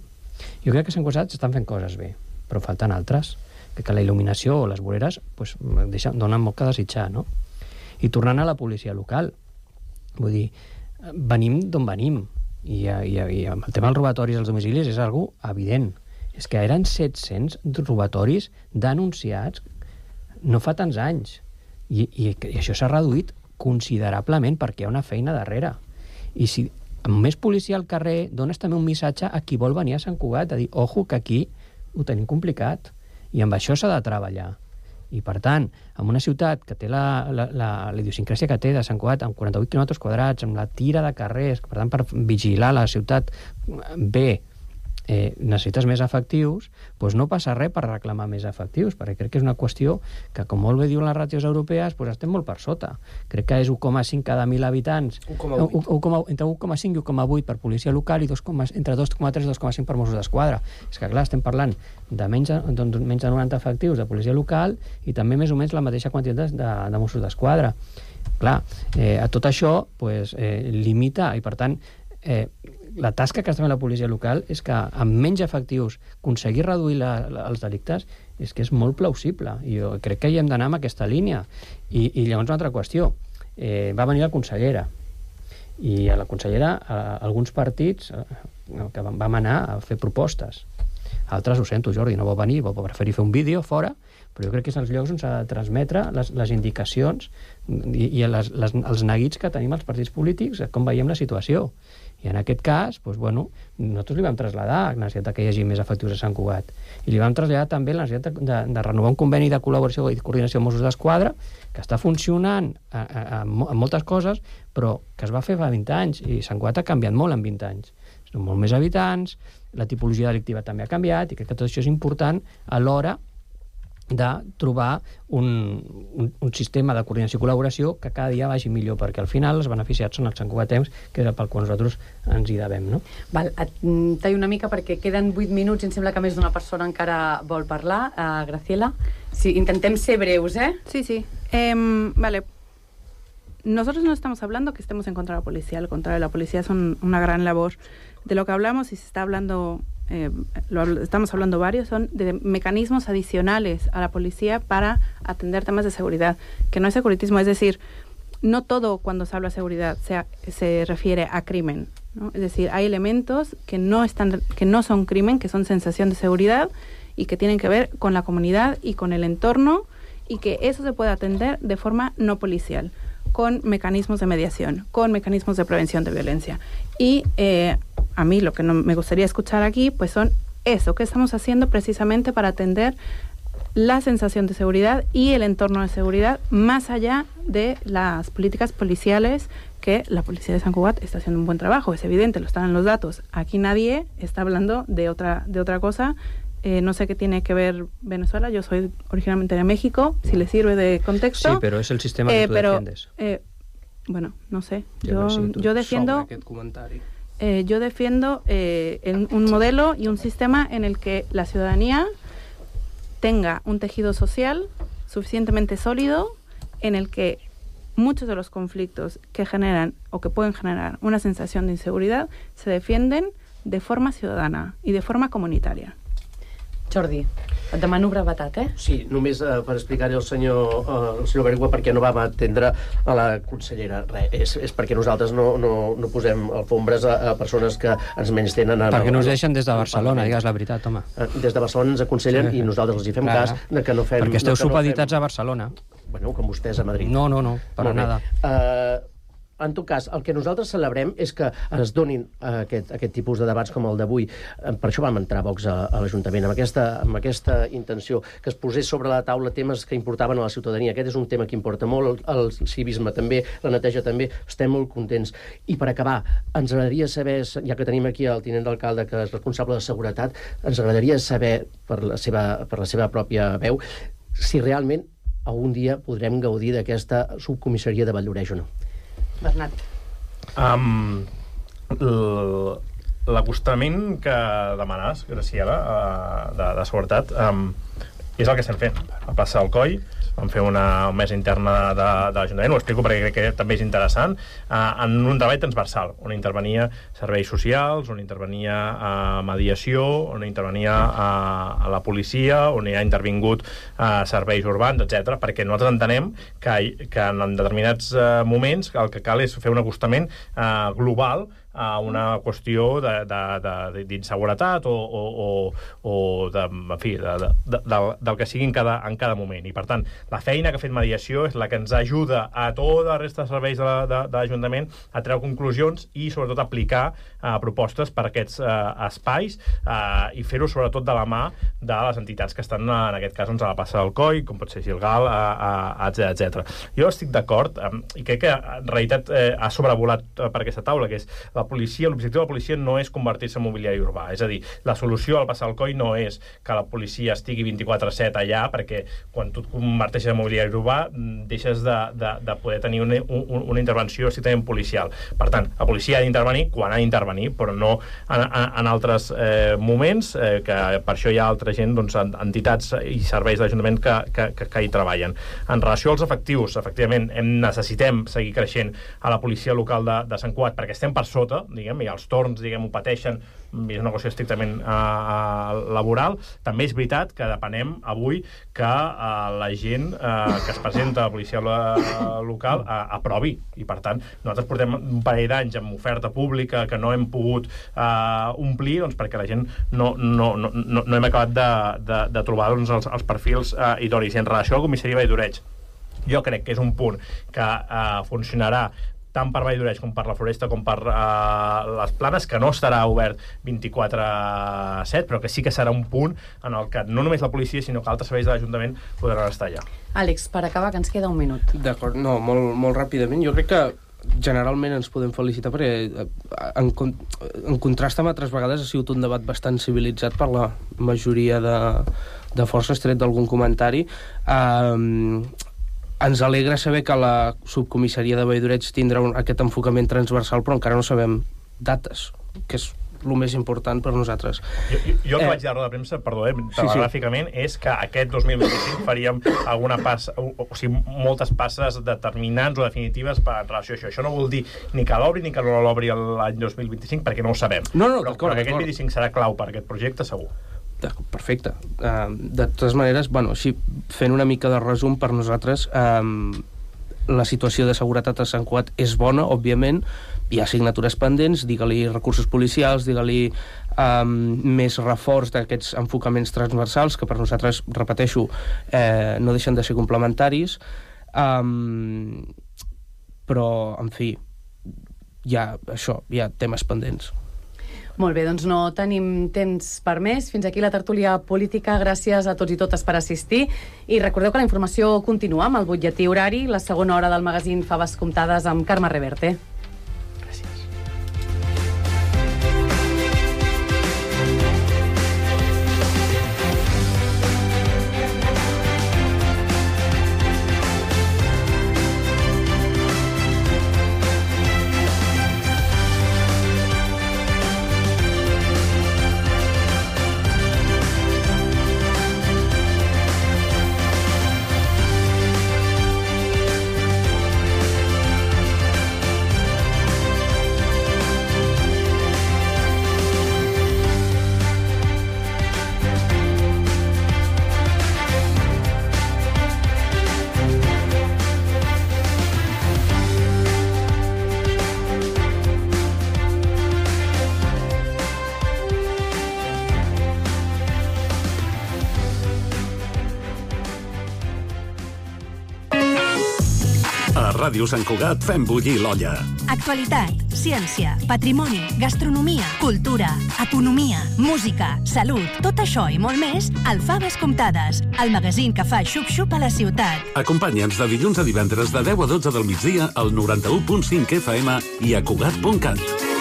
[SPEAKER 11] Jo crec que a Sant Cugat s'estan fent coses bé, però falten altres. Crec que la il·luminació o les voreres donen molt que desitjar, no? I tornant a la policia local, vull dir, venim d'on venim, i amb el tema dels robatoris als domicilis és algo evident. És que eren 700 robatoris denunciats no fa tants anys, i això s'ha reduït considerablement perquè hi ha una feina darrere. I si amb més policia al carrer dones també un missatge a qui vol venir a Sant Cugat, de dir, ojo, que aquí ho tenim complicat, i amb això s'ha de treballar. I, per tant, en una ciutat que té la idiosincràsia que té de Sant Cugat, amb 48 quilòmetres quadrats, amb la tira de carrers, per tant, per vigilar la ciutat bé, necessites més efectius, doncs no passa res per reclamar més efectius, perquè crec que és una qüestió que, com molt bé diuen les ràtios europees, doncs estem molt per sota. Crec que és 1,5 cada 1.000 habitants, entre 1,5 i 1,8 per policia local i entre 2,3 i 2,5 per Mossos d'Esquadra. És que, clar, estem parlant de menys de 90 efectius de policia local i també més o menys la mateixa quantitat de Mossos d'Esquadra. Clar, a tot això limita, i per tant la tasca que està fent la policia local és que amb menys efectius aconseguir reduir els delictes és que és molt plausible, i jo crec que hi hem d'anar amb aquesta línia. I llavors una altra qüestió, va venir la consellera, i a la consellera alguns partits que vam anar a fer propostes, altres, ho sento, Jordi, no va venir, va preferir fer un vídeo fora, però jo crec que és els llocs on s'ha de transmetre les indicacions i els neguits que tenim els partits polítics, com veiem la situació. I en aquest cas, nosaltres li vam traslladar la necessitat que hi hagi més efectius a Sant Cugat. I li vam traslladar també la necessitat de renovar un conveni de col·laboració i coordinació amb Mossos d'Esquadra, que està funcionant en moltes coses, però que es va fer fa 20 anys, i Sant Cugat ha canviat molt en 20 anys. Són molt més habitants, la tipologia delictiva també ha canviat, i crec que tot això és important a l'hora de trobar un sistema de coordinació i col·laboració que cada dia vagi millor, perquè al final els beneficiats són els santcugatencs, que és pel qual nosaltres ens hi devem, no?
[SPEAKER 8] Val, et tallo una mica perquè queden 8 minuts i em sembla que més d'una persona encara vol parlar. Graciela, sí, intentem ser breus, ¿eh?
[SPEAKER 14] Sí. Vale. Nosotros no estamos hablando que estemos en contra de la policía, al contrario, la policía es una gran labor. De lo que hablamos, y se está hablando, estamos hablando varios, son de mecanismos adicionales a la policía para atender temas de seguridad, que no es securitismo, es decir, no todo cuando se habla de seguridad se refiere a crimen, ¿no? Es decir, hay elementos que no son crimen, que son sensación de seguridad y que tienen que ver con la comunidad y con el entorno, y que eso se puede atender de forma no policial, con mecanismos de mediación, con mecanismos de prevención de violencia. Y a mí lo que me gustaría escuchar aquí, pues son eso, que estamos haciendo precisamente para atender la sensación de seguridad y el entorno de seguridad, más allá de las políticas policiales, que la policía de Sant Cugat está haciendo un buen trabajo, es evidente, lo están en los datos. Aquí nadie está hablando de otra cosa. No sé qué tiene que ver Venezuela, yo soy originalmente de México, si le sirve de contexto.
[SPEAKER 11] Sí, pero es el sistema que tú defiendes.
[SPEAKER 14] Bueno, no sé, yo defiendo un modelo y un sistema en el que la ciudadanía tenga un tejido social suficientemente sólido, en el que muchos de los conflictos que generan o que pueden generar una sensación de inseguridad se defienden de forma ciudadana y de forma comunitaria.
[SPEAKER 8] Jordi, et demano brevetat,
[SPEAKER 13] Sí, només per explicar-hi al senyor Bergua perquè no vam atendre a la consellera. Res, és perquè nosaltres no posem alfombres a persones que ens menys tenen...
[SPEAKER 11] Perquè no us deixen des de Barcelona, digues la veritat, home.
[SPEAKER 13] Des de Barcelona ens aconsellen i nosaltres els hi fem cas de que no fem...
[SPEAKER 11] Perquè esteu supeditats a Barcelona.
[SPEAKER 13] Bueno, com vostès a Madrid.
[SPEAKER 11] No, per nada.
[SPEAKER 13] En tot cas, el que nosaltres celebrem és que es donin aquest tipus de debats com el d'avui. Per això vam entrar Vox a l'Ajuntament, amb aquesta intenció, que es posés sobre la taula temes que importaven a la ciutadania. Aquest és un tema que importa molt, el civisme també, la neteja també. Estem molt contents. I per acabar, ens agradaria saber, ja que tenim aquí el tinent d'alcalde, que és responsable de seguretat, ens agradaria saber, per la seva pròpia veu, si realment algun dia podrem gaudir d'aquesta subcomissaria de Vall-lloreix o no.
[SPEAKER 8] Bernat.
[SPEAKER 9] L'acostament que demanes, Graciela, de seguretat, és el que estem fent. A plaça del Coll vam fer una mesa interna de l'Ajuntament, ho explico perquè crec que també és interessant, en un treball transversal, on intervenia serveis socials, on intervenia mediació, on intervenia a la policia, on hi ha intervingut serveis urbans, etc. Perquè nosaltres entenem que en determinats moments el que cal és fer un acostament global a una qüestió d'inseguretat o del que sigui en cada moment. I, per tant, la feina que ha fet mediació és la que ens ajuda a tota la resta de serveis de l'Ajuntament a treure conclusions i, sobretot, aplicar propostes per a aquests espais i fer-ho, sobretot, de la mà de les entitats que estan, en aquest cas, a la plaça del Coll, com pot ser Gilgal, etc. Jo estic d'acord, i crec que, en realitat, ha sobrevolat per aquesta taula, que és l'objectiu de la policia no és convertir-se en mobiliari urbà. És a dir, la solució al passar al Coll no és que la policia estigui 24/7 allà, perquè quan tu et converteixes en mobiliari urbà deixes de poder tenir una intervenció estrictament policial. Per tant, la policia ha d'intervenir quan ha d'intervenir, però no en altres moments, que per això hi ha altra gent, entitats i serveis de l'Ajuntament que hi treballen. En relació als efectius, efectivament, necessitem seguir creixent a la policia local de Sant Cugat, perquè estem per sota, i els torns, ho pateixen, és una qüestió estrictament laboral. També és veritat que depenem avui que la gent que es presenta a la policia local aprovi, i per tant nosaltres portem un parell d'anys amb oferta pública que no hem pogut omplir, perquè la gent no hem acabat de trobar els perfils idonis. En relació al comissari Vall-lloreix, jo crec que és un punt que funcionarà tant per Vall-lloreix com per la Floresta com per les Planes, que no estarà obert 24/7, però que sí que serà un punt en el que no només la policia, sinó que altres serveis de l'Ajuntament podran estar allà.
[SPEAKER 8] Àlex, per acabar, que ens queda un minut.
[SPEAKER 10] D'acord, no, molt ràpidament. Jo crec que generalment ens podem felicitar perquè en contrast amb altres vegades ha sigut un debat bastant civilitzat per la majoria de forces, tret d'algun comentari. Ens alegra saber que la subcomissaria de Vall-lloreix tindrà aquest enfocament transversal, però encara no sabem dates, que és el més important per nosaltres.
[SPEAKER 9] Jo que vaig de roda de premsa, perdó, telegràficament, és que aquest 2025 faríem moltes passes determinants o definitives en relació a això. Això no vol dir ni que l'obri ni que no l'obri l'any 2025, perquè no ho sabem. Però que aquest 25 serà clau per aquest projecte, segur.
[SPEAKER 10] Perfecte. De totes maneres, així, fent una mica de resum, per nosaltres la situació de seguretat a Sant Cugat és bona, òbviament. Hi ha signatures pendents, digue-li recursos policials, digue-li més reforç d'aquests enfocaments transversals, que per nosaltres, repeteixo, no deixen de ser complementaris. Però, en fi, hi ha temes pendents.
[SPEAKER 8] Molt bé, doncs no tenim temps per més. Fins aquí la tertúlia política. Gràcies a tots i totes per assistir. I recordeu que la informació continua amb el butlletí horari, la segona hora del magazín Faves Comptades amb Carme Reverte.
[SPEAKER 1] A Ràdio Sant Cugat fem bullir l'olla.
[SPEAKER 15] Actualitat, ciència, patrimoni, gastronomia, cultura, economia, música, salut, tot això i molt més al Faves Comptades, el magazín que fa xup-xup a la ciutat.
[SPEAKER 1] Acompanya'ns de dilluns a divendres de 10 a 12 del migdia al 91.5 FM i a Cugat.cat.